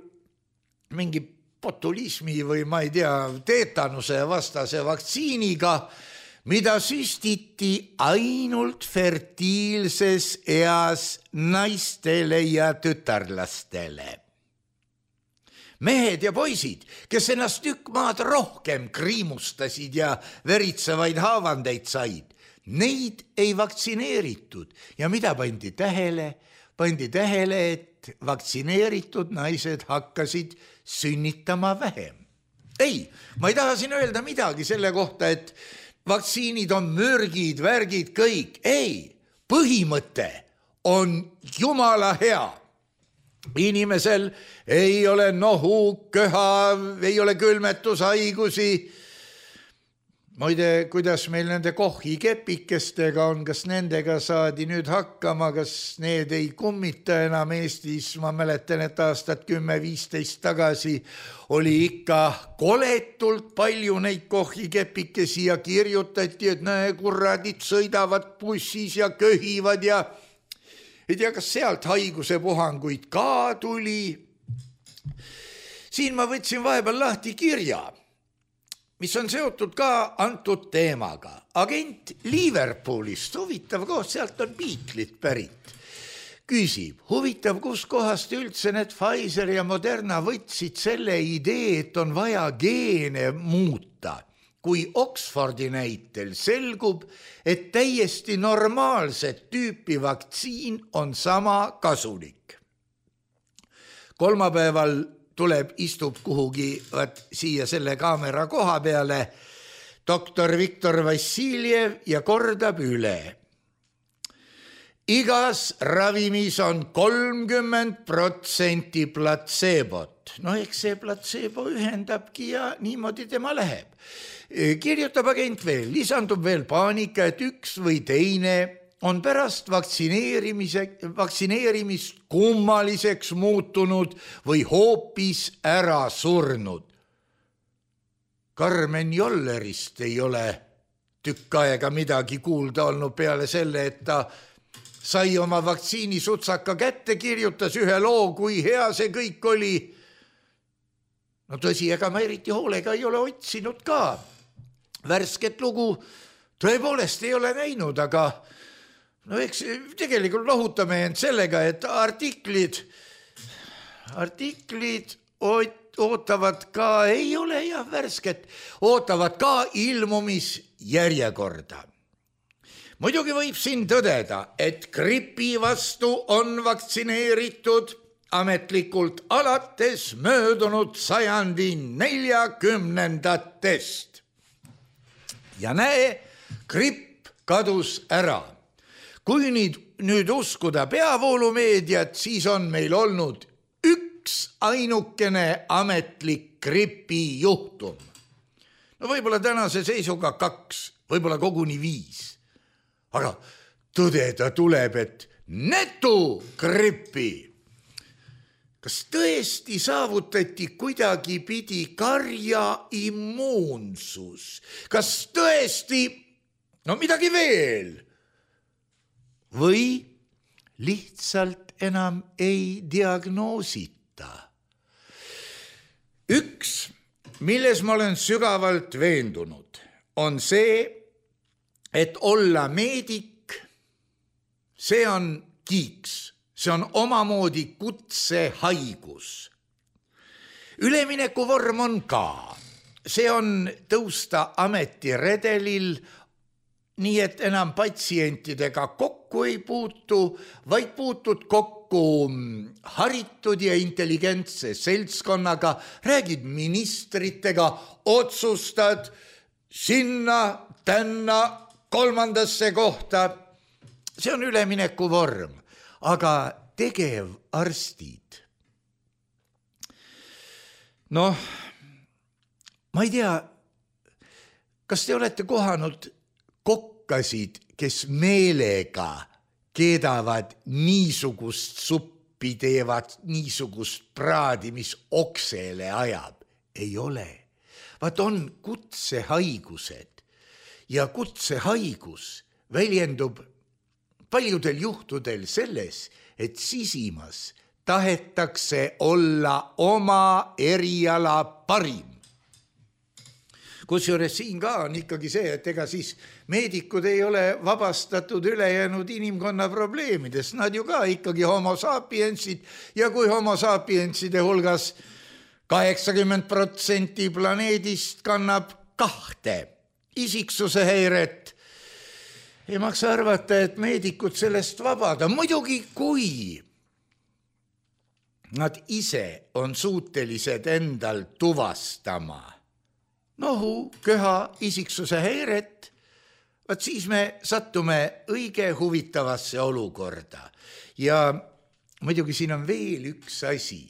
mingi botulismi või ma ei tea, teetanuse vastase vaktsiiniga, mida süstiti ainult fertiilses eas naistele ja tütarlastele. Mehed ja poisid, kes ennast tükk maad rohkem kriimustasid ja veritsevaid haavandeid said, neid ei vaktsineeritud ja mida pandi tähele? Pandi tähele, et vaktsineeritud naised hakkasid sünnitama vähem. Ei, ma ei taha siin öelda midagi selle kohta, et vaktsiinid on mürgid, värgid, kõik. Ei, põhimõte on jumala hea. Inimesel ei ole nohu, köha, ei ole külmetushaigusi. Muide, kuidas meil nende kohikepikestega on, kas nendega saadi nüüd hakkama, kas need ei kummita enam Eestis? Ma mäletan, et aastat kümme viisteist tagasi oli ikka koletult palju neid kohikepikesi ja kirjutati, et näe, kurradid sõidavad bussis ja köhivad ja ei tea, kas sealt haiguse puhanguid ka tuli. Siin ma võtsin vahepeal lahti kirja, mis on seotud ka antud teemaga. Agent Liverpoolist, huvitav koht, sealt on Beatlesid pärit. Küsib, huvitav, kus kohast üldse need Pfizer ja Moderna võtsid selle idee, et on vaja geene muuta, kui Oxfordi näitel selgub, et täiesti normaalset tüüpi vaktsiin on sama kasulik. Kolmapäeval tuleb, istub kuhugi vaat, siia selle kaamera koha peale doktor Viktor Vassiljev ja kordab üle. Igas ravimis on kolmkümmend protsenti platseebot. No eks see platseebo ühendabki ja niimoodi tema läheb. Kirjutab agent veel, lisandub veel paanika, et üks või teine on pärast vaktsineerimise, vaktsineerimist kummaliseks muutunud või hoopis ära surnud. Karmen Jollerist ei ole tükk aega midagi kuulda olnud peale selle, et ta sai oma vaktsiinisutsaka kätte, kirjutas ühe loo, kui hea see kõik oli. No tõsi, ega ma eriti hoolega ei ole otsinud ka. Värsket lugu tõepoolest ei ole näinud, aga no eks tegelikult lohutame end sellega, et artiklid, artiklid ootavad ka, ei ole jah värsket, ootavad ka ilmumisjärjekorda. Muidugi võib siin tõdeda, et gripi vastu on vaktsineeritud ametlikult alates möödunud sajandi neljakümnendatest. Ja näe, gripp kadus ära. Kui nüüd, nüüd uskuda peavoolumeediat, siis on meil olnud üks ainukene ametlik gripi juhtum. No võib-olla tänase seisuga kaks, võib-olla koguni viis. Aga tõdeda tuleb, et netu gripi. Kas tõesti saavutati kuidagi pidi karja immuunsus? Kas tõesti, no midagi veel? Või lihtsalt enam ei diagnoosita? Üks, milles ma olen sügavalt veendunud, on see, et olla meedik, see on kiiks, see on omamoodi kutsehaigus. Üleminekuvorm on ka, see on tõusta ametiredelil, nii et enam patsientidega kokku ei puutu, vaid puutud kokku haritud ja intelligentse seltskonnaga, räägid ministritega, otsustad sinna, tänna, kolmandasse kohta. See on ülemineku vorm, aga tegevarstid. Noh, ma ei tea, kas te olete kohanud kokkasid, kes meelega keedavad niisugust suppi, teevad niisugust praadi, mis oksele ajab? Ei ole. Vaat on kutsehaigused. Ja kutsehaigus väljendub paljudel juhtudel selles, et sisimas tahetakse olla oma eriala parim. Kusjuures siin ka on ikkagi see, et ega siis meedikud ei ole vabastatud ülejäänud inimkonna probleemidest. Nad ju ka ikkagi homo sapiensid ja kui homo sapienside hulgas kaheksakümmend protsenti planeedist kannab kahte isiksuse häiret, ei maksa arvata, et meedikud sellest vabada. Muidugi, kui nad ise on suutelised endal tuvastama nohu, köha, isiksuse häiret, vaat siis me sattume õige huvitavasse olukorda. Ja muidugi siin on veel üks asi.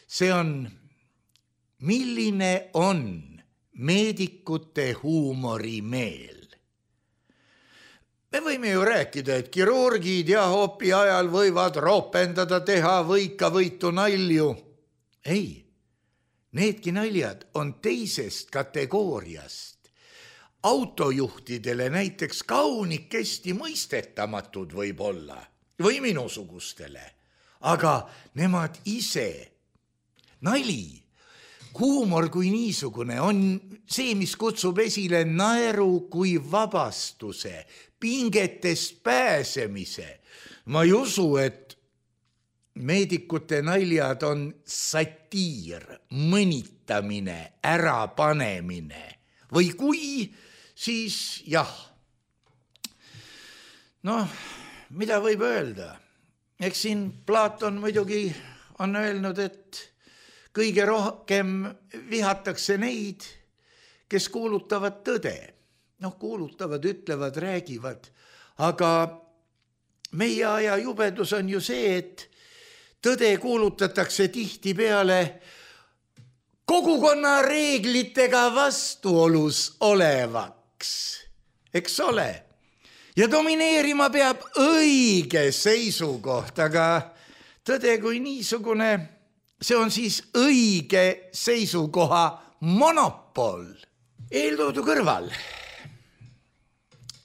See on, milline on meedikute huumorimeel. Me võime ju rääkida, et kirurgid ja hoopi ajal võivad roopendada, teha võika-võitu nalju. Ei, needki naljad on teisest kategooriast. Autojuhtidele näiteks kaunikesti mõistetamatud võib olla või minusugustele, aga nemad ise, nali, huumor kui niisugune on see, mis kutsub esile naeru kui vabastuse, pingetest pääsemise. ma ei usu, et meedikute naljad on satiir, mõnitamine, ärapanemine või kui, siis jah. Noh, mida võib öelda? Eks siin Platon muidugi on öelnud, et kõige rohkem vihatakse neid, kes kuulutavad tõde. Noh, kuulutavad, ütlevad, räägivad, aga meie aja jubedus on ju see, et tõde kuulutatakse tihti peale kogukonna reeglitega vastuolus olevaks, eks ole. Ja domineerima peab õige seisukoht, aga tõde kui niisugune, see on siis õige seisukoha monopol. Eeltoodu kõrval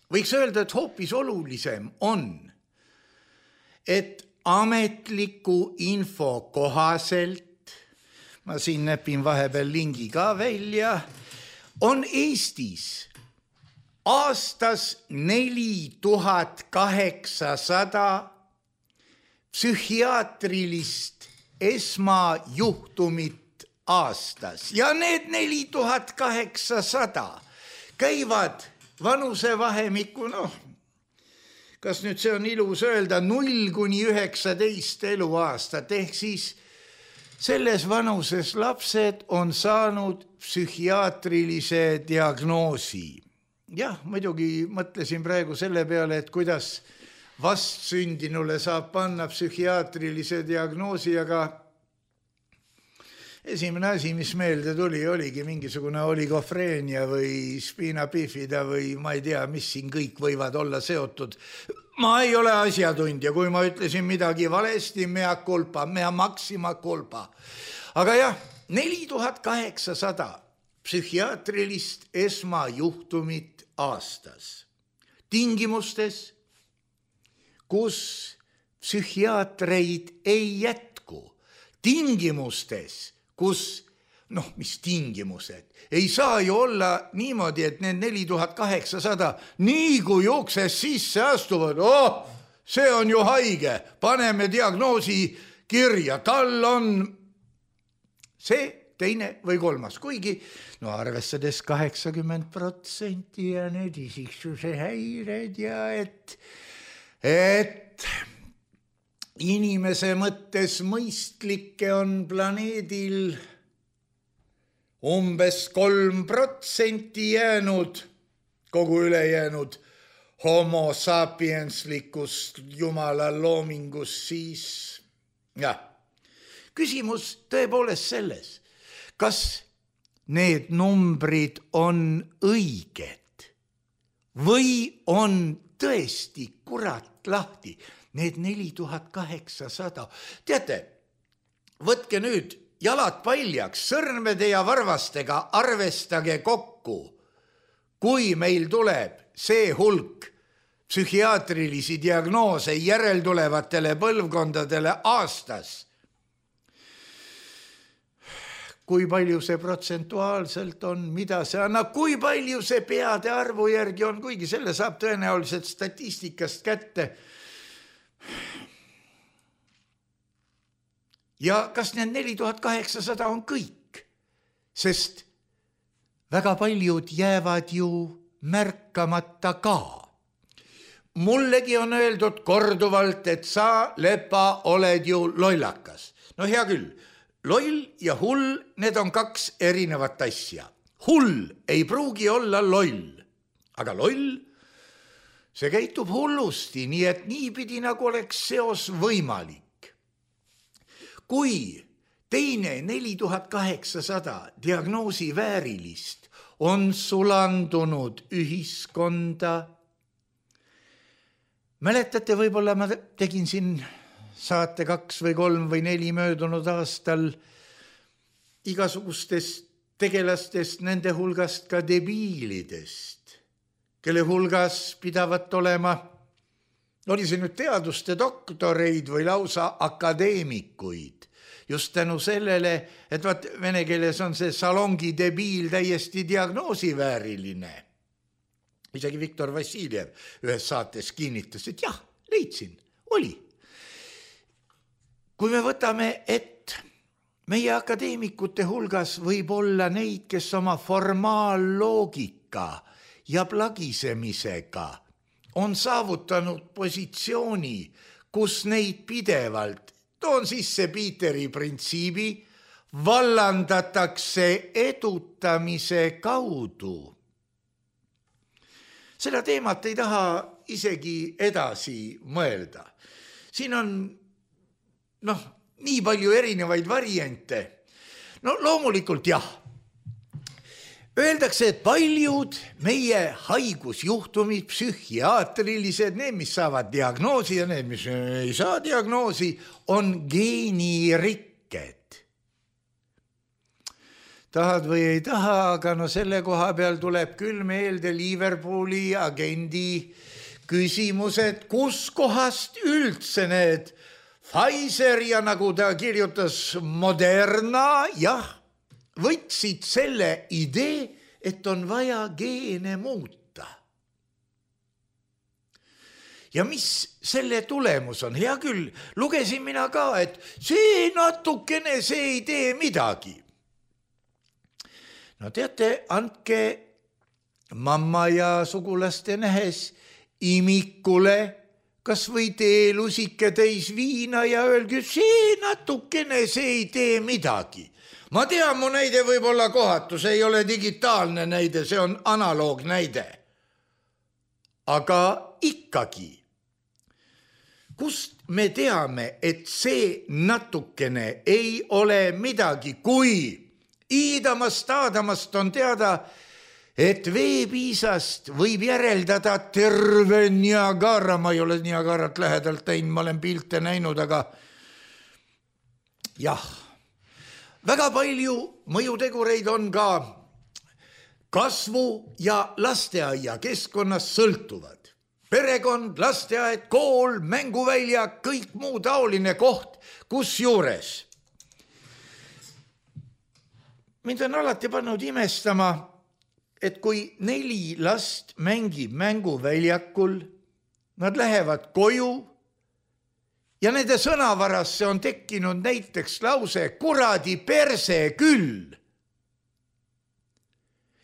võiks öelda, et hoopis olulisem on, et ametliku info kohaselt, ma siin näpin vahepeal lingi ka välja, on Eestis aastas neli tuhat kaheksasada psühhiaatrilist esmajuhtumit aastas ja need neli tuhat kaheksasada käivad vanusevahemikku, noh, kas nüüd see on ilus öelda, null kuni üheksateist eluaastat, ehk siis selles vanuses lapsed on saanud psühhiaatrilise diagnoosi. Jah, muidugi mõtlesin praegu selle peale, et kuidas vastsündinule saab panna psühhiaatrilise diagnoosi, aga esimene asi, mis meelde tuli, oligi mingisugune oligofreenia või spiina bifida või ma ei tea, mis siin kõik võivad olla seotud. Ma ei ole asjatundja, kui ma ütlesin midagi valesti, mea culpa, mea maxima culpa. Aga jah, neli tuhat kaheksasada psühhiaatrilist esmajuhtumit aastas. Tingimustes, kus psühhiaatreid ei jätku. Tingimustes, kus, noh, mis tingimused, ei saa ju olla niimoodi, et need neli tuhat kaheksasada nii kui jookses sisse astuvad, oh, see on ju haige, paneme diagnoosi kirja, tal on see, teine või kolmas, kuigi no arvestades kaheksakümmend protsenti ja need isiksuse häired ja et, et inimese mõttes mõistlikke on planeedil umbes kolm protsenti jäänud, kogu ülejäänud homo sapienslikust jumala loomingust, siis jah, küsimus tõepoolest selles, kas need numbrid on õiged või on tõesti kurat lahti. Need neli tuhat kaheksasada. Teate, võtke nüüd jalad paljaks, sõrmede ja varvastega arvestage kokku, kui meil tuleb see hulk psühhiaatrilisi diagnoose järeltulevatele põlvkondadele aastas. Kui palju see protsentuaalselt on, mida see annab, kui palju see peade arvu järgi on, kuigi selle saab tõenäoliselt statistikast kätte. Ja kas need neli tuhat kaheksasada on kõik? Sest väga paljud jäävad ju märkamata ka. Mullegi on öeldud korduvalt, et sa, Lepa, oled ju lollakas. No hea küll, loll ja hull, need on kaks erinevat asja. Hull ei pruugi olla loll, aga loll, see käitub hullusti, nii et niipidi nagu oleks seos võimalik. Kui teine neli tuhat kaheksasada diagnoosi väärilist on sulandunud ühiskonda, mäletate, võib-olla ma tegin siin saate kaks või kolm või neli möödunud aastal igasugustest tegelastest, nende hulgast ka debiilidest, kelle hulgas pidavat olema, oli see nüüd teaduste doktoreid või lausa akadeemikuid, just tänu sellele, et vaat vene keeles on see salongi debiil täiesti diagnoosivääriline. Isegi Viktor Vassiljev ühes saates kinnitas, et jah, leidsin, oli. Kui me võtame, et meie akadeemikute hulgas võib olla neid, kes oma formaalloogika ja plagisemisega on saavutanud positsiooni, kus neid pidevalt, toon sisse Peteri printsiibi, vallandatakse edutamise kaudu. Seda teemat ei taha isegi edasi mõelda. Siin on noh, nii palju erinevaid variante. No loomulikult jah. Öeldakse, et paljud meie haigusjuhtumid, psühhiaatrilised, need, mis saavad diagnoosi ja need, mis ei saa diagnoosi, on geenirikked. Tahad või ei taha, aga no selle koha peal tuleb küll meelde Liverpooli agendi küsimused, kus kohast üldse need Pfizer ja nagu ta kirjutas Moderna, jah, võtsid selle idee, et on vaja geene muuta. Ja mis selle tulemus on? Hea küll, lugesin mina ka, et see natukene, see ei tee midagi. No teate, andke mamma ja sugulaste nähes imikule kas või teelusike täis viina ja öelge, see natukene, see ei tee midagi. Ma tean, mu näide võib olla kohatu, see ei ole digitaalne näide, see on analoog näide. Aga ikkagi, kust me teame, et see natukene ei ole midagi, kui iidamast, aadamast on teada, et veepiisast võib järeldada terve Niagara, ma ei ole Niagarat lähedalt teinud, ma olen pilte näinud, aga jah, väga palju mõjutegureid on ka kasvu ja lasteaia keskkonnas sõltuvad. Perekond, lasteaed, kool, mänguvälja, kõik muu taoline koht, kus juures. Mind on alati pannud imestama, et kui neli last mängib mänguväljakul, nad lähevad koju ja nende sõnavarasse on tekkinud näiteks lause kuradi perse küll.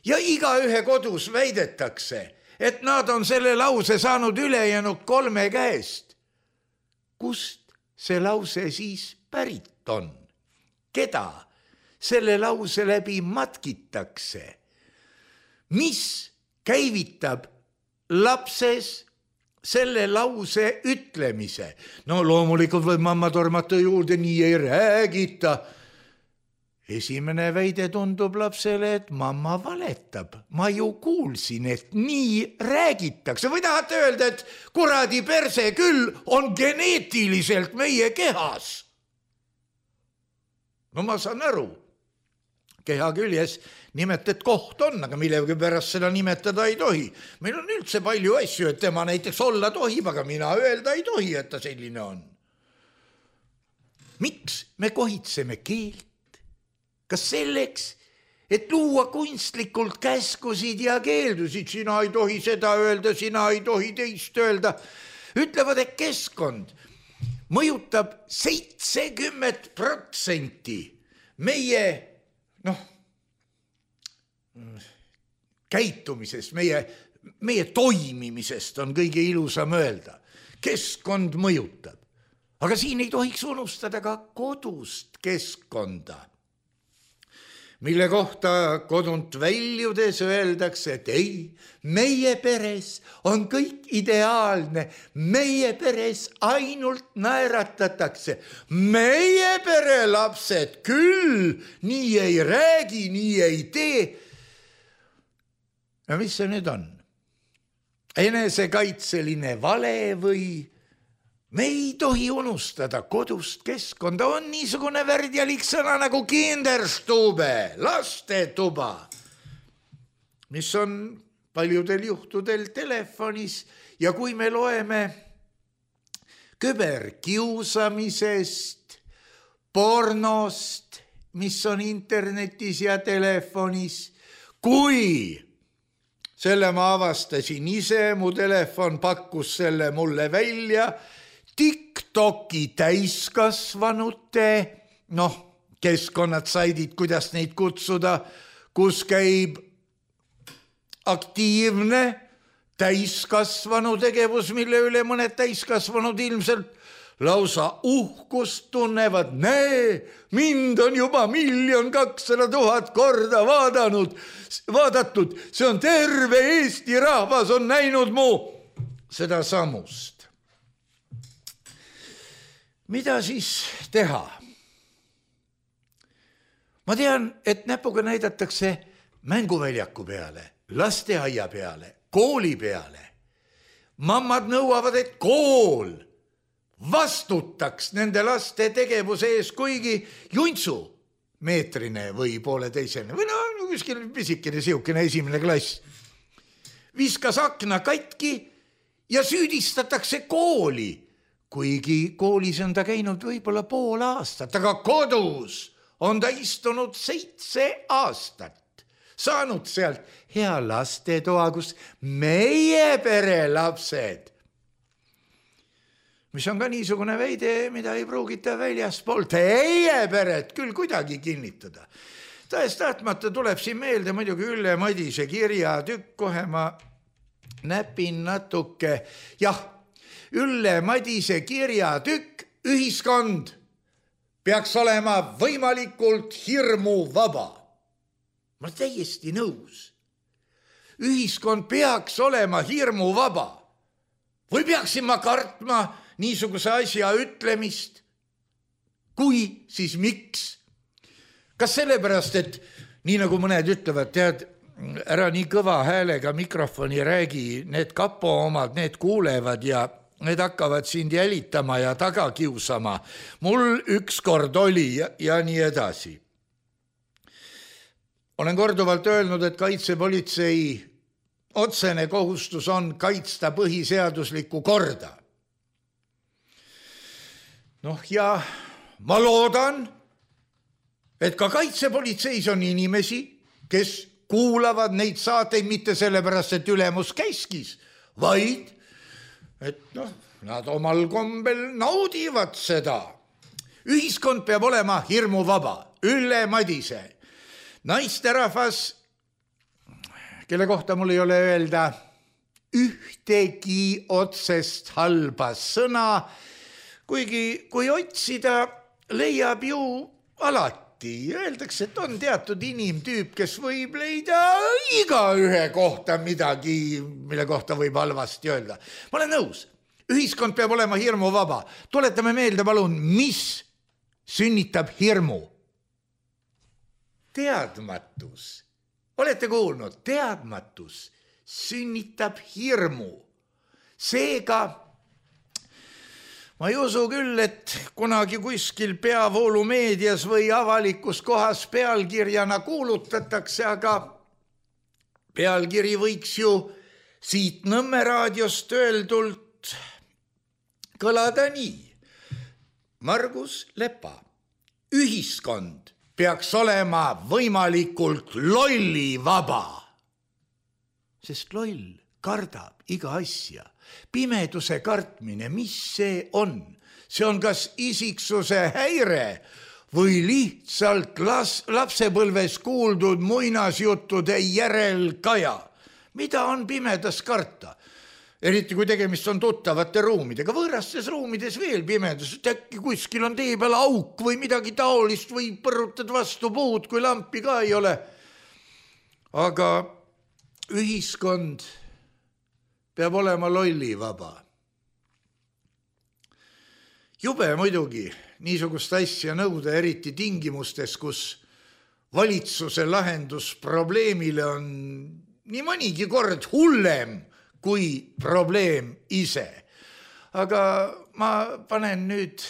Ja igaühe kodus väidetakse, et nad on selle lause saanud ülejäänud kolme käest. Kust see lause siis pärit on? Keda selle lause läbi matkitakse? Mis käivitab lapses selle lause ütlemise? No loomulikult võib mamma tormata juurde, nii ei räägita. Esimene väide tundub lapsele, et mamma valetab. Ma ju kuulsin, et nii räägitakse. Või tahate öelda, et kuradi perse küll on geneetiliselt meie kehas? No ma saan aru. Keha küljes nimetet koht on, aga millegi pärast seda nimetada ei tohi. Meil on üldse palju asju, et tema näiteks olla tohib, aga mina öelda ei tohi, et ta selline on. Miks me kohitseme keelt? Kas selleks, et luua kunstlikult käskusid ja keeldusid? Sina ei tohi seda öelda, sina ei tohi teist öelda. Ütlevad, et keskkond mõjutab seitsekümmend protsenti meie noh, käitumisest, meie, meie toimimisest on kõige ilusam öelda. Keskkond mõjutab. Aga siin ei tohiks unustada ka kodust keskkonda, mille kohta kodunt väljudes öeldakse, et ei, meie peres on kõik ideaalne, meie peres ainult naeratatakse, meie pere lapsed küll nii ei räägi, nii ei tee. Ja mis see nüüd on? Enesekaitseline vale või? Me ei tohi unustada kodust keskkonda, on niisugune värdjalik sõna nagu kinderstube, lastetuba, mis on paljudel juhtudel telefonis ja kui me loeme küberkiusamisest, pornost, mis on internetis ja telefonis, kui selle ma avastasin ise, mu telefon pakkus selle mulle välja, TikToki täiskasvanute, noh, keskkonnad, saidid, kuidas neid kutsuda, kus käib aktiivne täiskasvanu tegevus, mille üle mõned täiskasvanud ilmselt lausa uhkust tunnevad. Näe, mind on juba miljon kakssada tuhat korda vaadanud, vaadatud. See on terve Eesti rahvas on näinud mu seda samust. Mida siis teha? Ma tean, et näpuga näidatakse mänguväljaku peale, lasteaia peale, kooli peale. Mammad nõuavad, et kool vastutaks nende laste tegevuse ees, kuigi juntsu meetrine või pooleteisene või no kuskil pisikene siukene esimene klass viskas akna katki ja süüdistatakse kooli, kuigi koolis on ta käinud võib-olla pool aastat, aga kodus on ta istunud seitse aastat, saanud sealt hea lastetoa, kus meie pere lapsed, mis on ka niisugune veide, mida ei pruugita väljaspool teie peret küll kuidagi kinnitada. Tahes tahtmata tuleb siin meelde muidugi Ülle Madise kirjatükk, kohe ma näpin natuke. Jah, Ülle Madise kirjatükk, ühiskond peaks olema võimalikult hirmu vaba. Ma olen täiesti nõus. Ühiskond peaks olema hirmu vaba. Või peaksin ma kartma niisuguse asja ütlemist? Kui, siis miks? Kas sellepärast, et nii nagu mõned ütlevad, tead, ära nii kõva häälega mikrofoni räägi, need kapo omad, need kuulevad ja need hakkavad sind jälitama ja taga kiusama. Mul ükskord oli ja, ja nii edasi. Olen korduvalt öelnud, et kaitsepolitsei otsene kohustus on kaitsta põhiseaduslikku korda. Noh, ja ma loodan, et ka kaitsepolitseis on inimesi, kes kuulavad neid saateid mitte sellepärast, et ülemus käskis, vaid et noh, nad omal kombel naudivad seda. Ühiskond peab olema hirmuvaba. Ülle Madise, naisterahvas, kelle kohta mul ei ole öelda ühtegi otsest halba sõna, kuigi kui otsida, leiab ju alati. Öeldakse, et on teatud inimtüüp, kes võib leida iga ühe kohta midagi, mille kohta võib halvasti öelda. Ma olen nõus. Ühiskond peab olema hirmu vaba. Tuletame meelde, palun, mis sünnitab hirmu? Teadmatus. Olete kuulnud? Teadmatus sünnitab hirmu. Seega ma ei usu küll, et kunagi kuskil peavoolumeedias või avalikus kohas pealkirjana kuulutatakse, aga pealkiri võiks ju siit Nõmme raadiost öeldult kõlada nii. Margus Lepa, ühiskond peaks olema võimalikult lolli vaba, sest loll kardab iga asja. Pimeduse kartmine, mis see on? See on kas isiksuse häire või lihtsalt las, lapsepõlves kuuldud muinasjuttude järelkaja. Mida on pimedas karta? Eriti kui tegemist on tuttavate ruumidega. Võõrastes ruumides veel pimedus. Äkki kuskil on tee peal auk või midagi taolist või põrutad vastu puud, kui lampi ka ei ole. Aga ühiskond peab olema lolli vaba. Jube muidugi niisugust asja nõuda, eriti tingimustes, kus valitsuse lahendus probleemile on nii mõnigi kord hullem kui probleem ise. Aga ma panen nüüd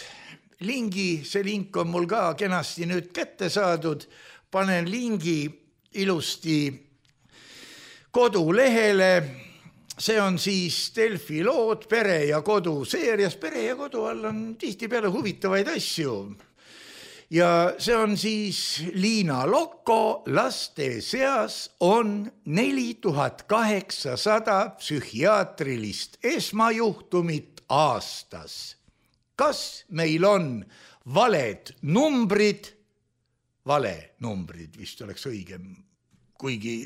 lingi, see link on mul ka kenasti nüüd kätte saadud, panen lingi ilusti kodulehele. See on siis Delfi lood Pere ja kodu seerias. Pere ja kodu all on tihti peale huvitavaid asju. Ja see on siis Liina Lokko, laste seas on neli tuhat kaheksasada psühhiaatrilist esmajuhtumit aastas. kas meil on valed numbrid, vale numbrid vist oleks õigem, kuigi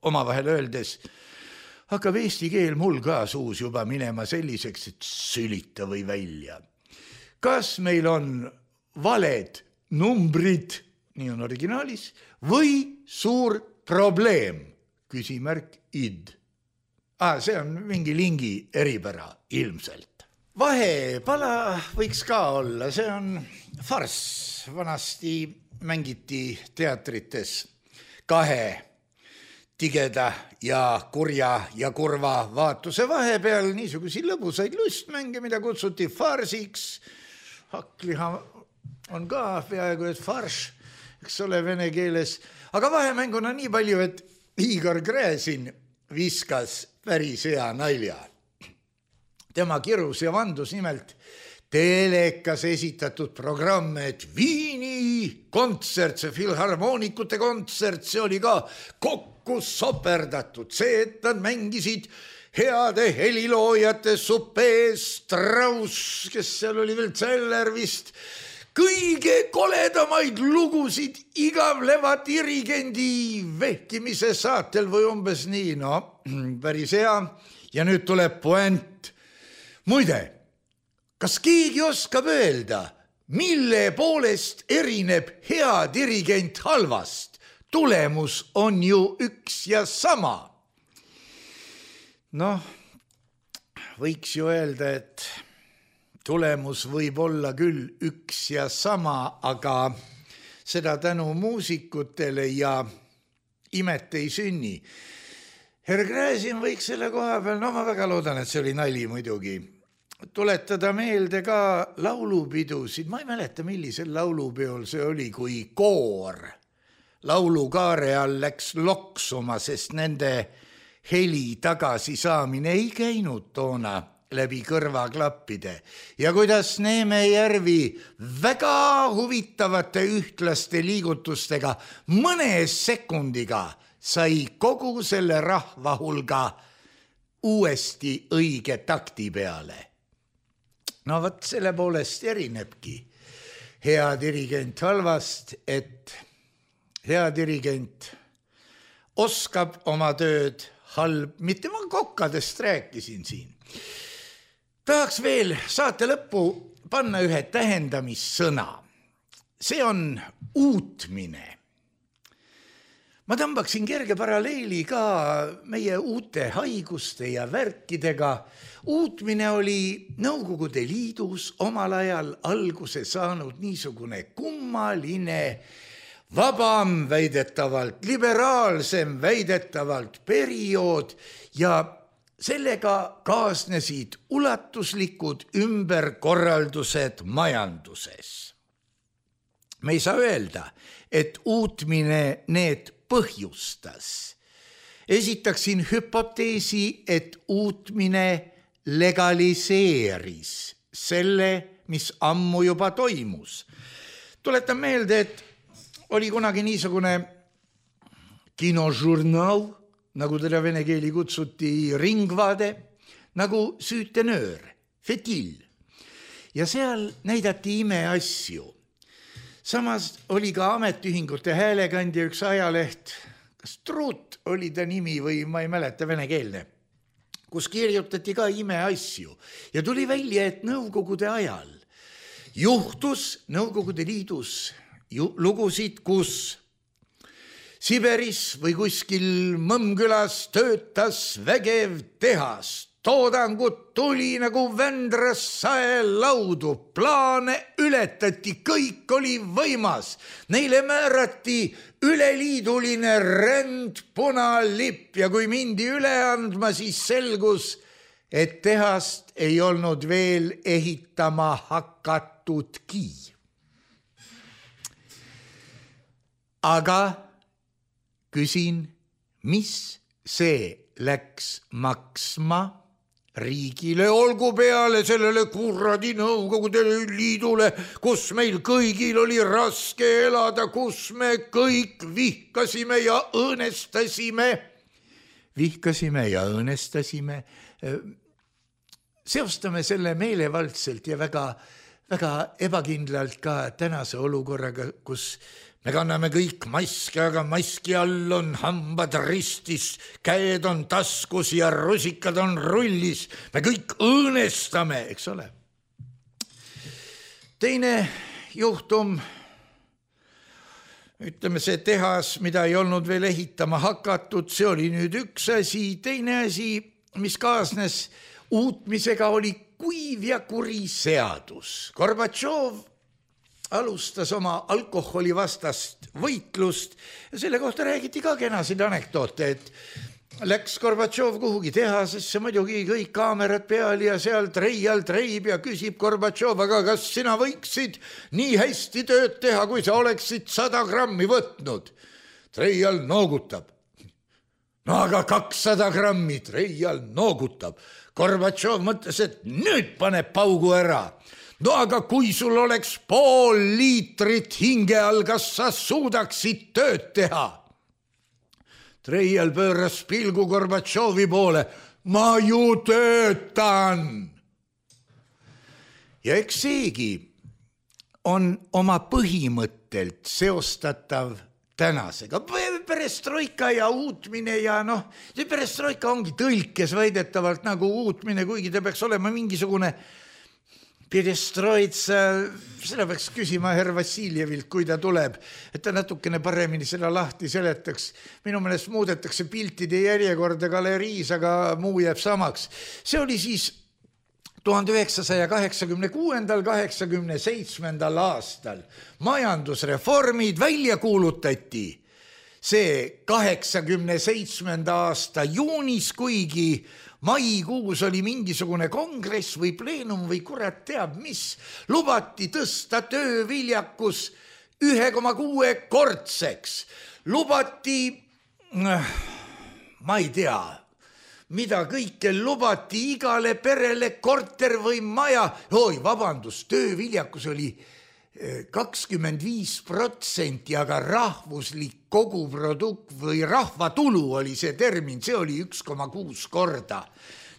omavahel öeldes hakkab eesti keel mul ka suus juba minema selliseks, et sülita või välja. Kas meil on valed numbrid, nii on originaalis, või suur probleem, küsimärk id. Ah, see on mingi lingi eripära ilmselt. Vahepala võiks ka olla, see on farss. Vanasti mängiti teatrites kahe tigeda ja kurja ja kurva vaatuse vahepeal niisugusi lõbusaid lustmänge, mida kutsuti farsiks. Hakkliha on ka peaaegu, et farš, eks ole vene keeles. Aga vahemänguna nii palju, et Igor Gräzin viskas päris hea nalja. Tema kirus ja vandus nimelt telekas esitatud programm, et Viini kontsert, see filharmoonikute kontsert, see oli ka kokku soperdatud. See, et nad mängisid heade heliloojate Supee, Strauss, kes seal oli veel Zeller vist, kõige koledamaid lugusid igavleva dirigendi vehkimise saatel või umbes nii, no päris hea. Ja nüüd tuleb puent. Muide, kas keegi oskab öelda, mille poolest erineb hea dirigent halvast? Tulemus on ju üks ja sama. Noh, võiks ju öelda, et tulemus võib olla küll üks ja sama, aga seda tänu muusikutele ja imet ei sünni. Herr Gräzin võiks selle koha peal, no ma väga loodan, et see oli nali muidugi, tuletada meelde ka laulupidusid. Ma ei mäleta, millisel laulupeol see oli, kui koor laulukaare all läks loksuma, sest nende heli tagasisaamine ei käinud toona läbi kõrvaklappide. Ja kuidas Neeme Järvi väga huvitavate ühtlaste liigutustega mõne sekundiga sai kogu selle rahva hulga uuesti õige takti peale. No võt selle poolest erinebki hea dirigent halvast, et hea dirigent oskab oma tööd halb, mitte ma kokkadest rääkisin siin. Tahaks veel saate lõppu panna ühe tähendamissõna. See on uutmine. Ma tõmbaksin kerge paralleeli ka meie uute haiguste ja värkidega. Uutmine oli Nõukogude Liidus omal ajal alguse saanud niisugune kummaline, vabam väidetavalt, liberaalsem väidetavalt periood ja sellega kaasnesid ulatuslikud ümberkorraldused majanduses. Me ei saa öelda, et uutmine need põhjustas. Esitaksin hüpoteesi, et uutmine legaliseeris selle, mis ammu juba toimus. Tuletan meelde, et oli kunagi niisugune kinožurnaal, nagu teda vene keeli kutsuti Ringvaade, nagu Süütenöör, Fetil. Ja seal näidati imeasju. Samas oli ka ametiühingute häälekandja üks ajaleht, kas Truut oli ta nimi või ma ei mäleta venekeelne, kus kirjutati ka imeasju. Ja tuli välja, et Nõukogude ajal juhtus Nõukogude Liidus lugusid, kus Siberis või kuskil Mõmmkülas töötas vägev tehas. Toodangut tuli nagu Vändras sae laudu. Plaane ületati, kõik oli võimas. Neile määrati üleliiduline ränd punalipp ja kui mindi üle andma, siis selgus, et tehast ei olnud veel ehitama hakatudki. Aga küsin, mis see läks maksma riigile, olgu peale sellele kuradi Nõukogude Liidule, kus meil kõigil oli raske elada, kus me kõik vihkasime ja õõnestasime. Vihkasime ja õõnestasime. seostame selle meelevaldselt ja väga, väga ebakindlalt ka tänase olukorraga, kus me kanname kõik maski, aga maski all on hambad ristis, käed on taskus ja rusikad on rullis. Me kõik õõnestame, eks ole. Teine juhtum, ütleme see tehas, mida ei olnud veel ehitama hakatud, see oli nüüd üks asi. Teine asi, mis kaasnes uutmisega, oli kuiv ja kuri seadus. Gorbatšov alustas oma alkoholi vastast võitlust ja selle kohta räägiti ka kenasid anekdoote, et läks Gorbatšov kuhugi tehasesse, muidugi kõik kaamerad peal ja seal treial treib ja küsib Gorbatšov, aga kas sina võiksid nii hästi tööd teha, kui sa oleksid sada grammi võtnud? Treial noogutab. No aga kakssada grammi, treial noogutab. Gorbatšov mõtles, et nüüd paneb paugu ära. No aga kui sul oleks pool liitrit hinge all, kas sa suudaksid tööd teha? Treial pööras pilgu Gorbatšovi poole. Ma ju töötan. Ja eks seegi on oma põhimõttelt seostatav tänasega. Perestroika ja uutmine ja noh, see perestroika ongi tõlkes väidetavalt nagu uutmine, kuigi ta peaks olema mingisugune perestroitsa, seda peaks küsima herr Vassiljevilt, kui ta tuleb, et ta natukene paremini seda lahti seletaks. Minu meelest muudetakse piltide järjekorda galeriis, aga muu jääb samaks. See oli siis tuhande üheksasaja kaheksakümne kuuendal kaheksakümne seitsmendal aastal. Majandusreformid välja kuulutati. See kaheksakümne seitsmenda aasta juunis, kuigi maikuus oli mingisugune kongress või pleenum või kurat teab mis, lubati tõsta tööviljakus ühe koma kuue kordseks. Lubati, ma ei tea, mida kõike lubati, igale perele korter või maja. Oi, vabandust, tööviljakus oli kakskümmend viis protsenti, aga rahvuslik koguprodukt või rahvatulu oli see termin, see oli üks koma kuus korda.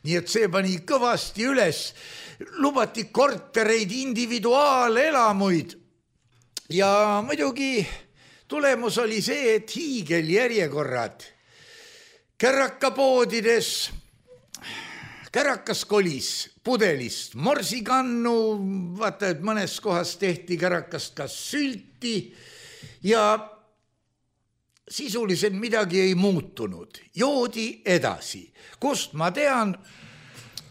Nii et see pani kõvasti üles. Lubati kortereid, individuaalelamuid ja muidugi tulemus oli see, et hiigeljärjekorrad kärakapoodides, kärakas kolis pudelist morsikannu, vaata, et mõnes kohas tehti kärakast ka sülti ja sisuliselt midagi ei muutunud. Joodi edasi. Kust ma tean,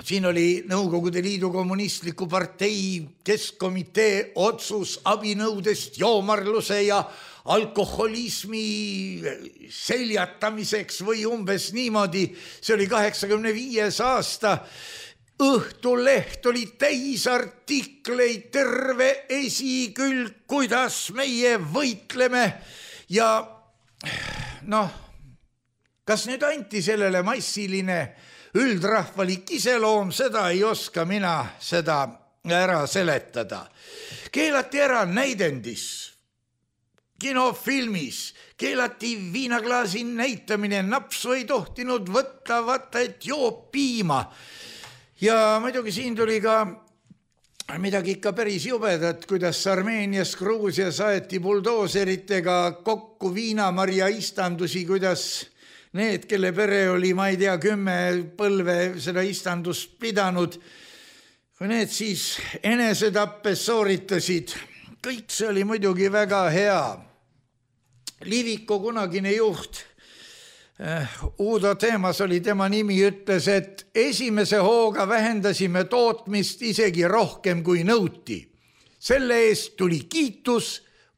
siin oli Nõukogude Liidu kommunistliku partei keskkomitee otsus abinõudest joomarluse ja alkoholismi seljatamiseks või umbes niimoodi. See oli kaheksakümne viies aasta. Õhtuleht oli täis artikleid, terve esikülg, kuidas meie võitleme ja noh, kas nüüd anti sellele massiline üldrahvalik iseloom, seda ei oska mina seda ära seletada. Keelati ära näidendis, kinofilmis, keelati viinaklaasi näitamine, napsu ei tohtinud võtta, vaata, et joob piima. Ja muidugi siin tuli ka midagi ikka päris jubedat, kuidas Armeenias, Gruusias aeti buldooseritega kokku viinamarja istandusi, kuidas need, kelle pere oli, ma ei tea, kümme põlve seda istandust pidanud, kui need siis enesetappe sooritasid. Kõik see oli muidugi väga hea. Liviko kunagine juht, Uudo Teemas oli tema nimi, ütles, et esimese hooga vähendasime tootmist isegi rohkem kui nõuti. Selle eest tuli kiitus,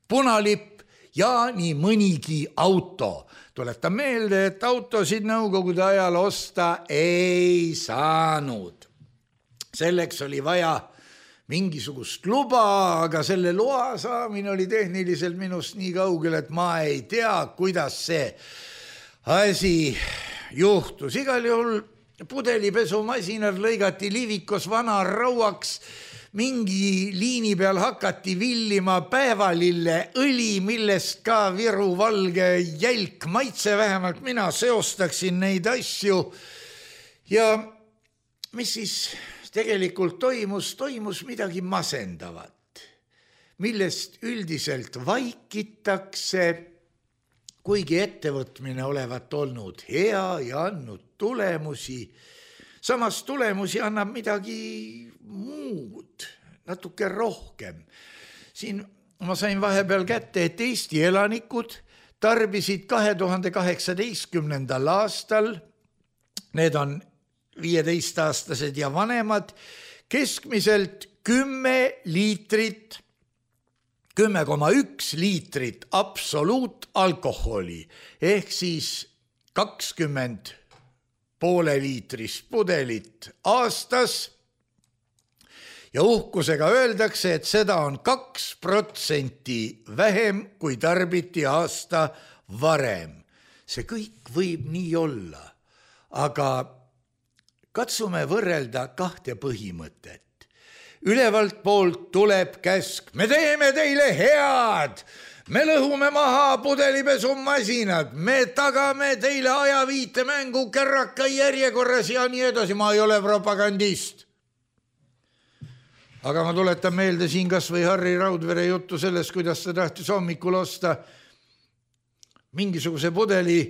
punalipp ja nii mõnigi auto. Tuletan meelde, et autosid Nõukogude ajal osta ei saanud. Selleks oli vaja mingisugust luba, aga selle loa saamine oli tehniliselt minust nii kaugel, et ma ei tea, kuidas see asi juhtus. Igal juhul pudelipesumasinad lõigati Livikos vana rauaks, mingi liini peal hakati villima päevalille õli, millest ka Viru valge jälk maitse, vähemalt mina seostaksin neid asju. Ja mis siis tegelikult toimus, toimus midagi masendavat, millest üldiselt vaikitakse, kuigi ettevõtmine olevat olnud hea ja andnud tulemusi. Samas tulemusi annab midagi muud, natuke rohkem. Siin ma sain vahepeal kätte, et Eesti elanikud tarbisid kahe tuhande kaheksateistkümnendal aastal, need on viieteistaastased ja vanemad, keskmiselt kümme liitrit, kümme koma üks liitrit absoluutalkoholi, ehk siis kakskümmend poole liitrist pudelit aastas. Ja uhkusega öeldakse, et seda on kaks protsenti vähem, kui tarbiti aasta varem. See kõik võib nii olla, aga katsume võrrelda kahte põhimõtet. Ülevalt poolt tuleb käsk, me teeme teile head, me lõhume maha pudelipesumasinad, me tagame teile ajaviite mängu kärraka järjekorras ja nii edasi, ma ei ole propagandist. Aga ma tuletan meelde siin kas või Harri Raudvere juttu sellest, kuidas ta tahtis hommikul osta mingisuguse pudeli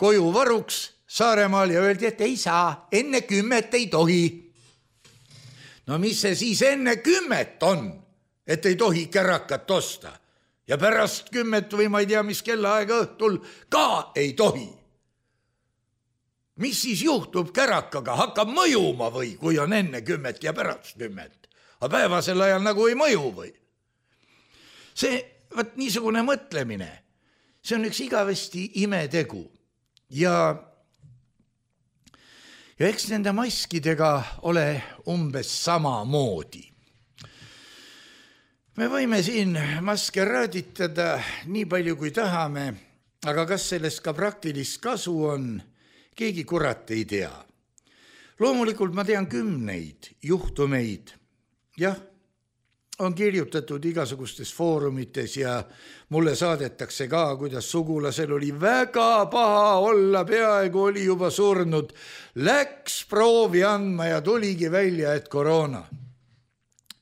koju varuks Saaremaal ja öeldi, et ei saa, enne kümmet ei tohi. No mis see siis enne kümmet on, et ei tohi kärakat osta ja pärast kümmet või ma ei tea, mis kellaaega õhtul ka ei tohi. Mis siis juhtub kärakaga, hakkab mõjuma või, kui on enne kümmet ja pärast kümmet? Aga päevasel ajal nagu ei mõju või? See, võt niisugune mõtlemine, see on üks igavesti imetegu ja, ja eks nende maskidega ole umbes sama moodi. Me võime siin maske raaditada nii palju kui tahame, aga kas sellest ka praktilist kasu on, keegi kurat ei tea. Loomulikult ma tean kümneid juhtumeid. Jah, on kirjutatud igasugustes foorumites ja mulle saadetakse ka, kuidas sugulasel oli väga paha olla, peaaegu oli juba surnud. Läks proovi andma ja tuligi välja, et koroona.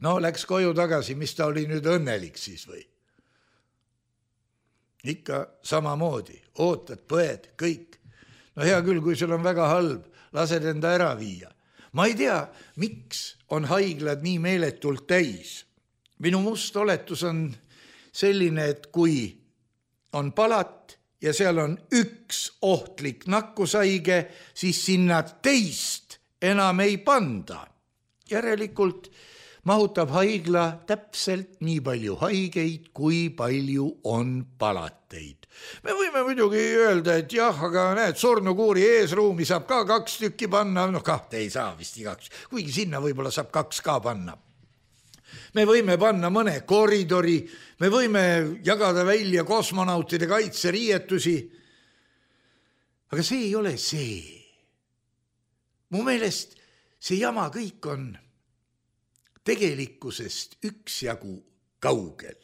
No, läks koju tagasi, mis ta oli nüüd õnnelik siis või? Ikka samamoodi, ootad, põed, kõik. No hea küll, kui sul on väga halb, lased enda ära viia. Ma ei tea, miks on haiglad nii meeletult täis. Minu must oletus on selline, et kui on palat ja seal on üks ohtlik nakkushaige, siis sinna teist enam ei panda. Järelikult mahutab haigla täpselt nii palju haigeid, kui palju on palateid. Me võime muidugi öelda, et jah, aga näed, surnukuuri eesruumi saab ka kaks tükki panna, noh kahte ei saa vist igaks, kuigi sinna võib-olla saab kaks ka panna. Me võime panna mõne koridori, me võime jagada välja kosmonautide kaitseriietusi, aga see ei ole see. Mu meelest see jama kõik on tegelikkusest üksjagu kaugel.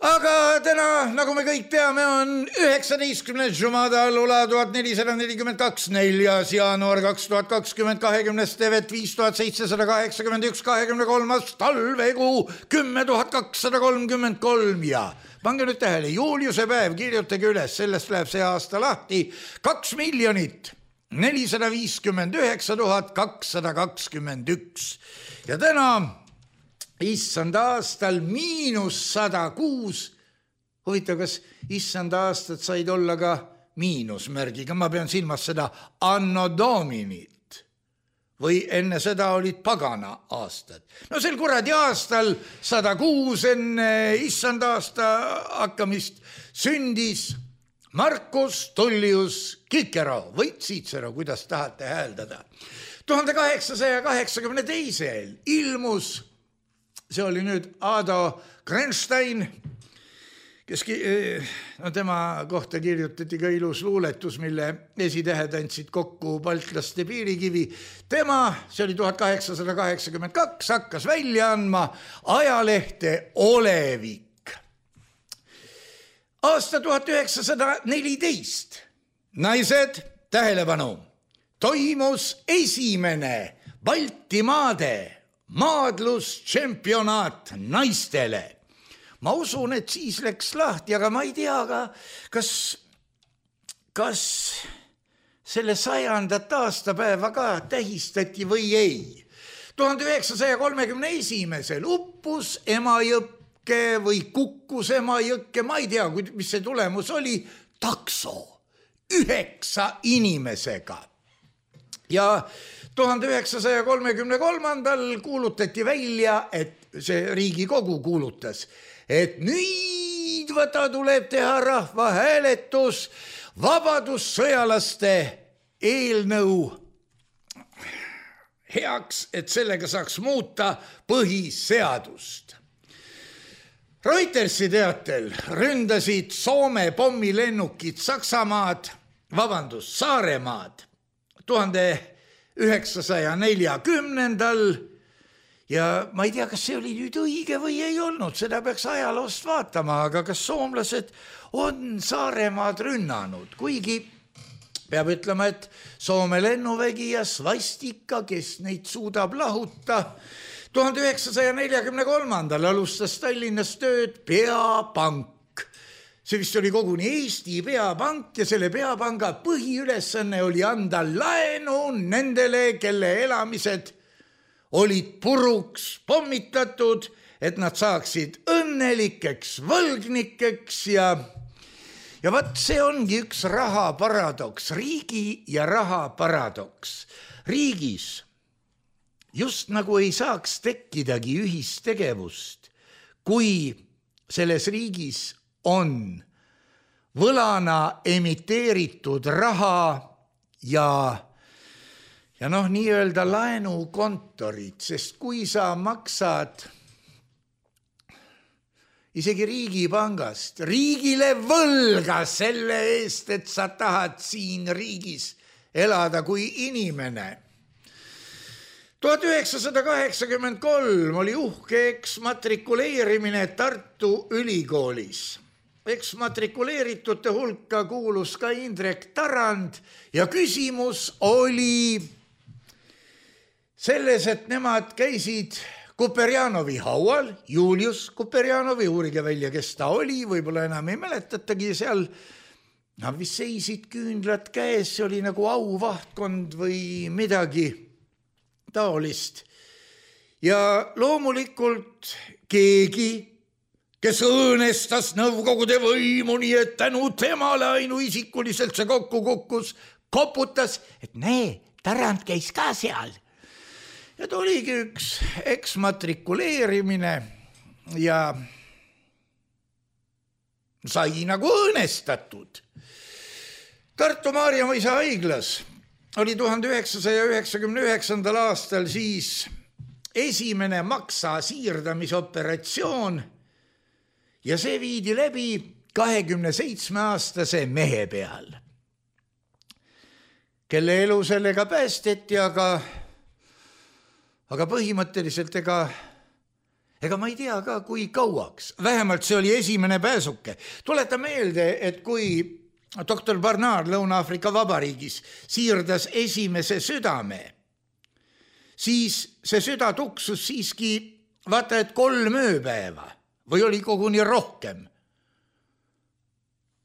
Aga täna, nagu me kõik teame, on üheksateistkümnes Jumada Lula tuhat nelisada nelikümmend kaks, neljas jaanuar kaks tuhat kakskümmend, kahekümnes tevet viis tuhat seitsesada kaheksakümmend üks, kahekümne kolmas talvekuu kümme tuhat kakssada kolmkümmend kolm ja pange nüüd tähele, Juliuse päev, kirjutage üles, sellest läheb see aasta lahti, kaks miljonit nelisada viiskümmend üheksa tuhat kakssada kakskümmend üks ja täna issand aastal miinus sada kuus. Huvitav, kas issand aastat said olla ka miinusmärgiga? Ma pean silmas seda anno dominit või enne seda olid pagana aastad. No sel kuradi aastal sada kuus enne issand aasta hakkamist sündis Marcus Tullius Cicero või Cicero, kuidas tahate hääldada. tuhande kaheksasaja kaheksakümne teisel ilmus, see oli nüüd Ado Grenstein, kes no, tema kohta kirjutati ka ilus luuletus, mille esitähed andsid kokku baltlaste piirikivi. Tema, see oli tuhat kaheksasada kaheksakümmend kaks, hakkas välja andma ajalehte Olevik. Aasta tuhat üheksasada neliteist. Naised, tähelepanu, toimus esimene Baltimaade maadlustšempionaat naistele. Ma usun, et siis läks lahti, aga ma ei tea, ka, kas, kas selle sajandat aastapäeva ka tähistati või ei. tuhande üheksasaja kolmekümne esimesel uppus Emajõkke või kukkus Emajõkke, ma ei tea, mis see tulemus oli, takso üheksa inimesega. Ja tuhande üheksasaja kolmekümne kolmandal kuulutati välja, et see Riigikogu kuulutas, et nüüd võta tuleb teha rahvahääletus vabadussõjalaste eelnõu heaks, et sellega saaks muuta põhiseadust. Reutersi teatel ründasid Soome pommilennukid Saksamaad, vabandust, Saaremaad tuhande üheksasaja neljakümnendal ja ma ei tea, kas see oli nüüd õige või ei olnud, seda peaks ajaloost vaatama, aga kas soomlased on Saaremaad rünnanud, kuigi peab ütlema, et Soome lennuvägi ja svastika, kes neid suudab lahuta. tuhande üheksasaja neljakümne kolmandal alustas Tallinnas tööd Peapank. See vist oli koguni Eesti Peapank ja selle Peapanga põhiülesanne oli anda laenu nendele, kelle elamised olid puruks pommitatud, et nad saaksid õnnelikeks võlgnikeks ja ja vat see ongi üks raha paradoks, riigi ja raha paradoks. Riigis just nagu ei saaks tekkidagi ühistegevust, kui selles riigis on võlana emiteeritud raha ja ja noh, nii-öelda laenukontorid, sest kui sa maksad isegi riigipangast riigile võlga selle eest, et sa tahad siin riigis elada kui inimene. tuhat üheksasada kaheksakümmend kolm oli uhke eksmatrikuleerimine Tartu Ülikoolis. Eksmatrikuleeritute hulka kuulus ka Indrek Tarand ja küsimus oli selles, et nemad käisid Kuperjanovi haual, Julius Kuperjanovi, uurige välja, kes ta oli, võib-olla enam ei mäletatagi seal. Nad vist seisid küünlad käes, see oli nagu auvahtkond või midagi taolist. Ja loomulikult keegi, kes õõnestas Nõukogude võimu, nii et tänu temale ainuisikuliselt see kokku kukkus, koputas, et näe, Tarand käis ka seal. Ja ta oligi üks eksmatrikuleerimine ja sai nagu õõnestatud. Tartu Maarjamõisa haiglas oli tuhande üheksasaja üheksakümne üheksandal aastal siis esimene maksa siirdamisoperatsioon ja see viidi läbi kahekümne seitsme aastase mehe peal, kelle elu sellega päästeti, aga aga põhimõtteliselt ega, ega ma ei tea ka, kui kauaks. Vähemalt see oli esimene pääsuke. Tuleta meelde, et kui doktor Barnard Lõuna-Aafrika Vabariigis siirdas esimese südame, siis see süda tuksus siiski vaata, et kolm ööpäeva või oli koguni rohkem.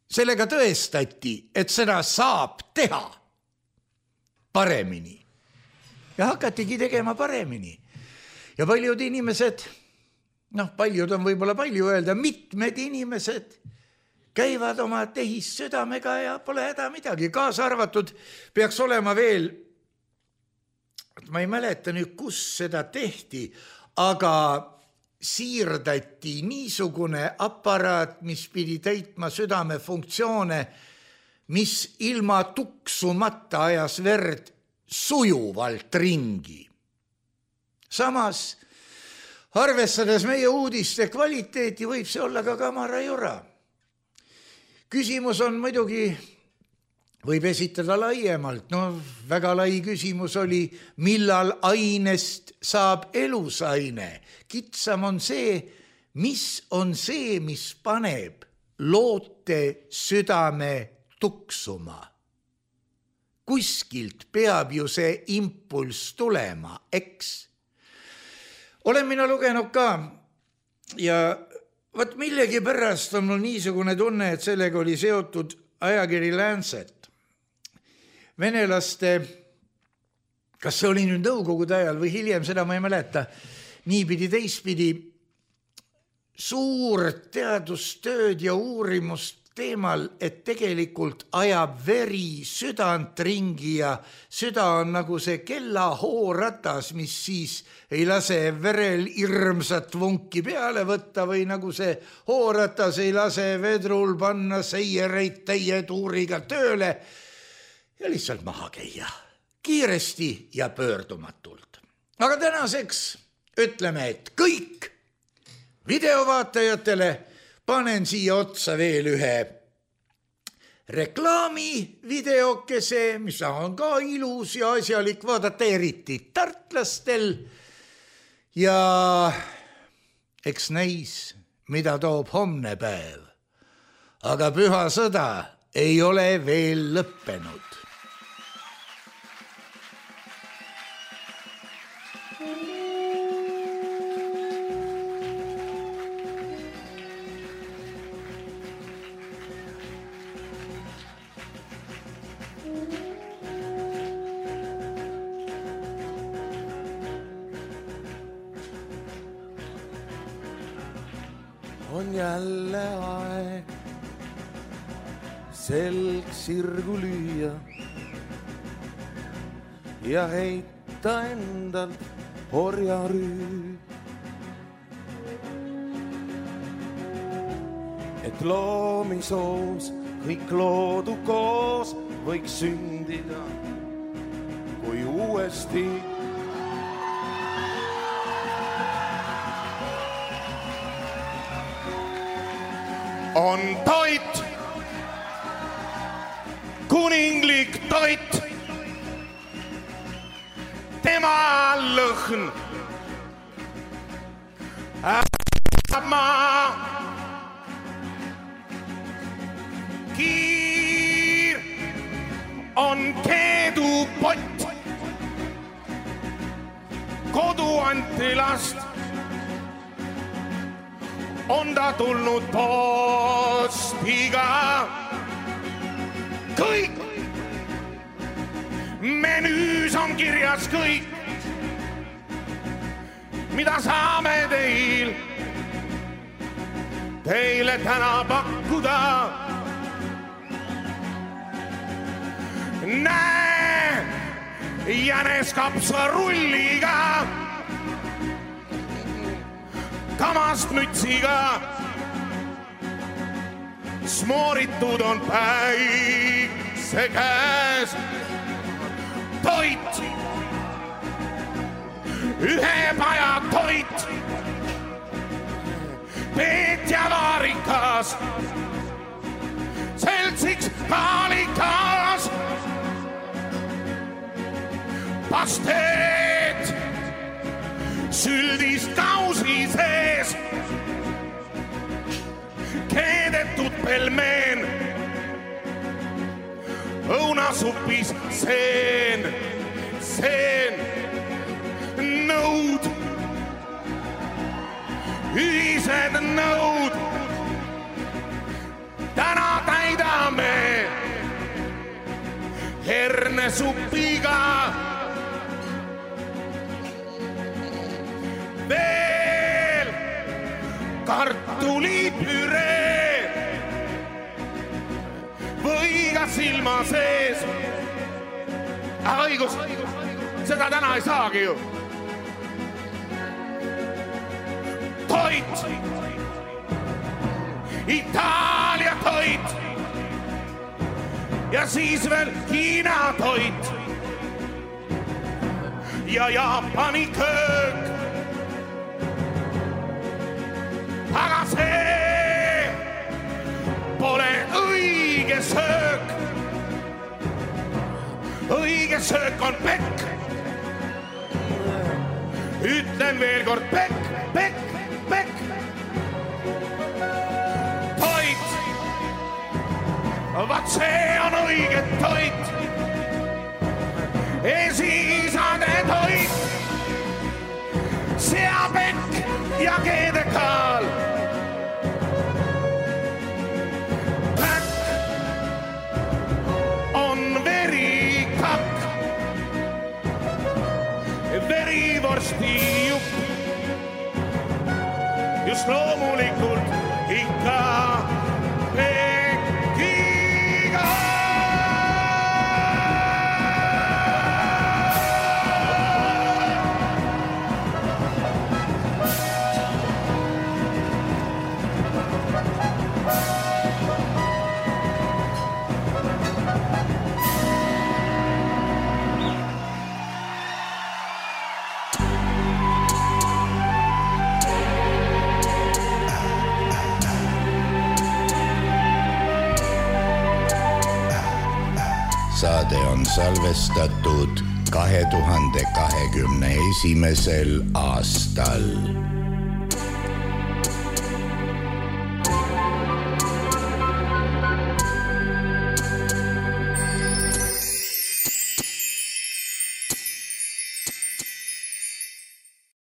Sellega tõestati, et seda saab teha paremini. Ja hakatigi tegema paremini. Ja paljud inimesed, noh, paljud on võib-olla palju öelda, mitmed inimesed käivad oma tehissüdamega ja pole häda midagi. Kaasa arvatud peaks olema veel, ma ei mäleta nüüd, kus seda tehti, aga siirdati niisugune aparaat, mis pidi täitma südame funktsioone, mis ilma tuksumata ajas verd sujuvalt ringi. Samas, arvestades meie uudiste kvaliteeti, võib see olla ka kamara jura. Küsimus on muidugi, võib esitada laiemalt, no väga lai küsimus oli, millal ainest saab elusaine. Kitsam on see, mis on see, mis paneb loote südame tuksuma. kuskilt peab ju see impulss tulema, eks. Olen mina lugenud ka ja võt millegi pärast on mul niisugune tunne, et sellega oli seotud ajakiri Lancet. Venelaste, kas see oli nüüd nõukogude ajal või hiljem, seda ma ei mäleta, niipidi teistpidi suur teadustööd ja uurimust teemal, et tegelikult ajab veri südant ringi ja süda on nagu see kellahooratas, mis siis ei lase verel hirmsat vunki peale võtta või nagu see hooratas ei lase vedrul panna seiereid täie tuuriga tööle ja lihtsalt maha käia kiiresti ja pöördumatult. Aga tänaseks ütleme, et kõik videovaatajatele panen siia otsa veel ühe reklaami videokese, mis on ka ilus ja asjalik vaadata, eriti tartlastel. Ja eks näis, mida toob homne päev. Aga püha sõda ei ole veel lõppenud. On jälle aeg selg sirgu lüüa ja heita endalt orjarüü. Et loomisoos kõik loodu koos võiks sündida, kui uuesti on toit, kuninglik toit, tema lõhn äärab maa. Kiir on keedupott, kodu anti last. On ta tulnud postiga. Kõik menüüs on kirjas kõik, mida saame teil, teile täna pakkuda. Näe, jänes kapsarulliga, kamast mütsiga, smooritud on päikse käes. Toit, ühe paja toit, Peetja vaarikas, seltsiks kaalikas, pasteet süldist kausi sees, keedetud pelmeen, õunasupis seen, seen, nõud, ühised nõud, täna täidame hernesupiga. Veel kartulipüree või ka silma sees. Aga õigus, seda täna ei saagi ju. Toit, Itaalia toit ja siis veel Hiina toit ja Jaapani köök. Aga see pole õige söök. Õige söök on pekk. Ütlen veel kord pekk, pekk, pekk. Toit, vaat see on õige toit. esiisade toit, seapekk ja keedekaal. Päkk on verikakk, verivorsti jupp, just loomulikult ikka pekiga. Saade on salvestatud kahe tuhande kahekümne esimesel aastal.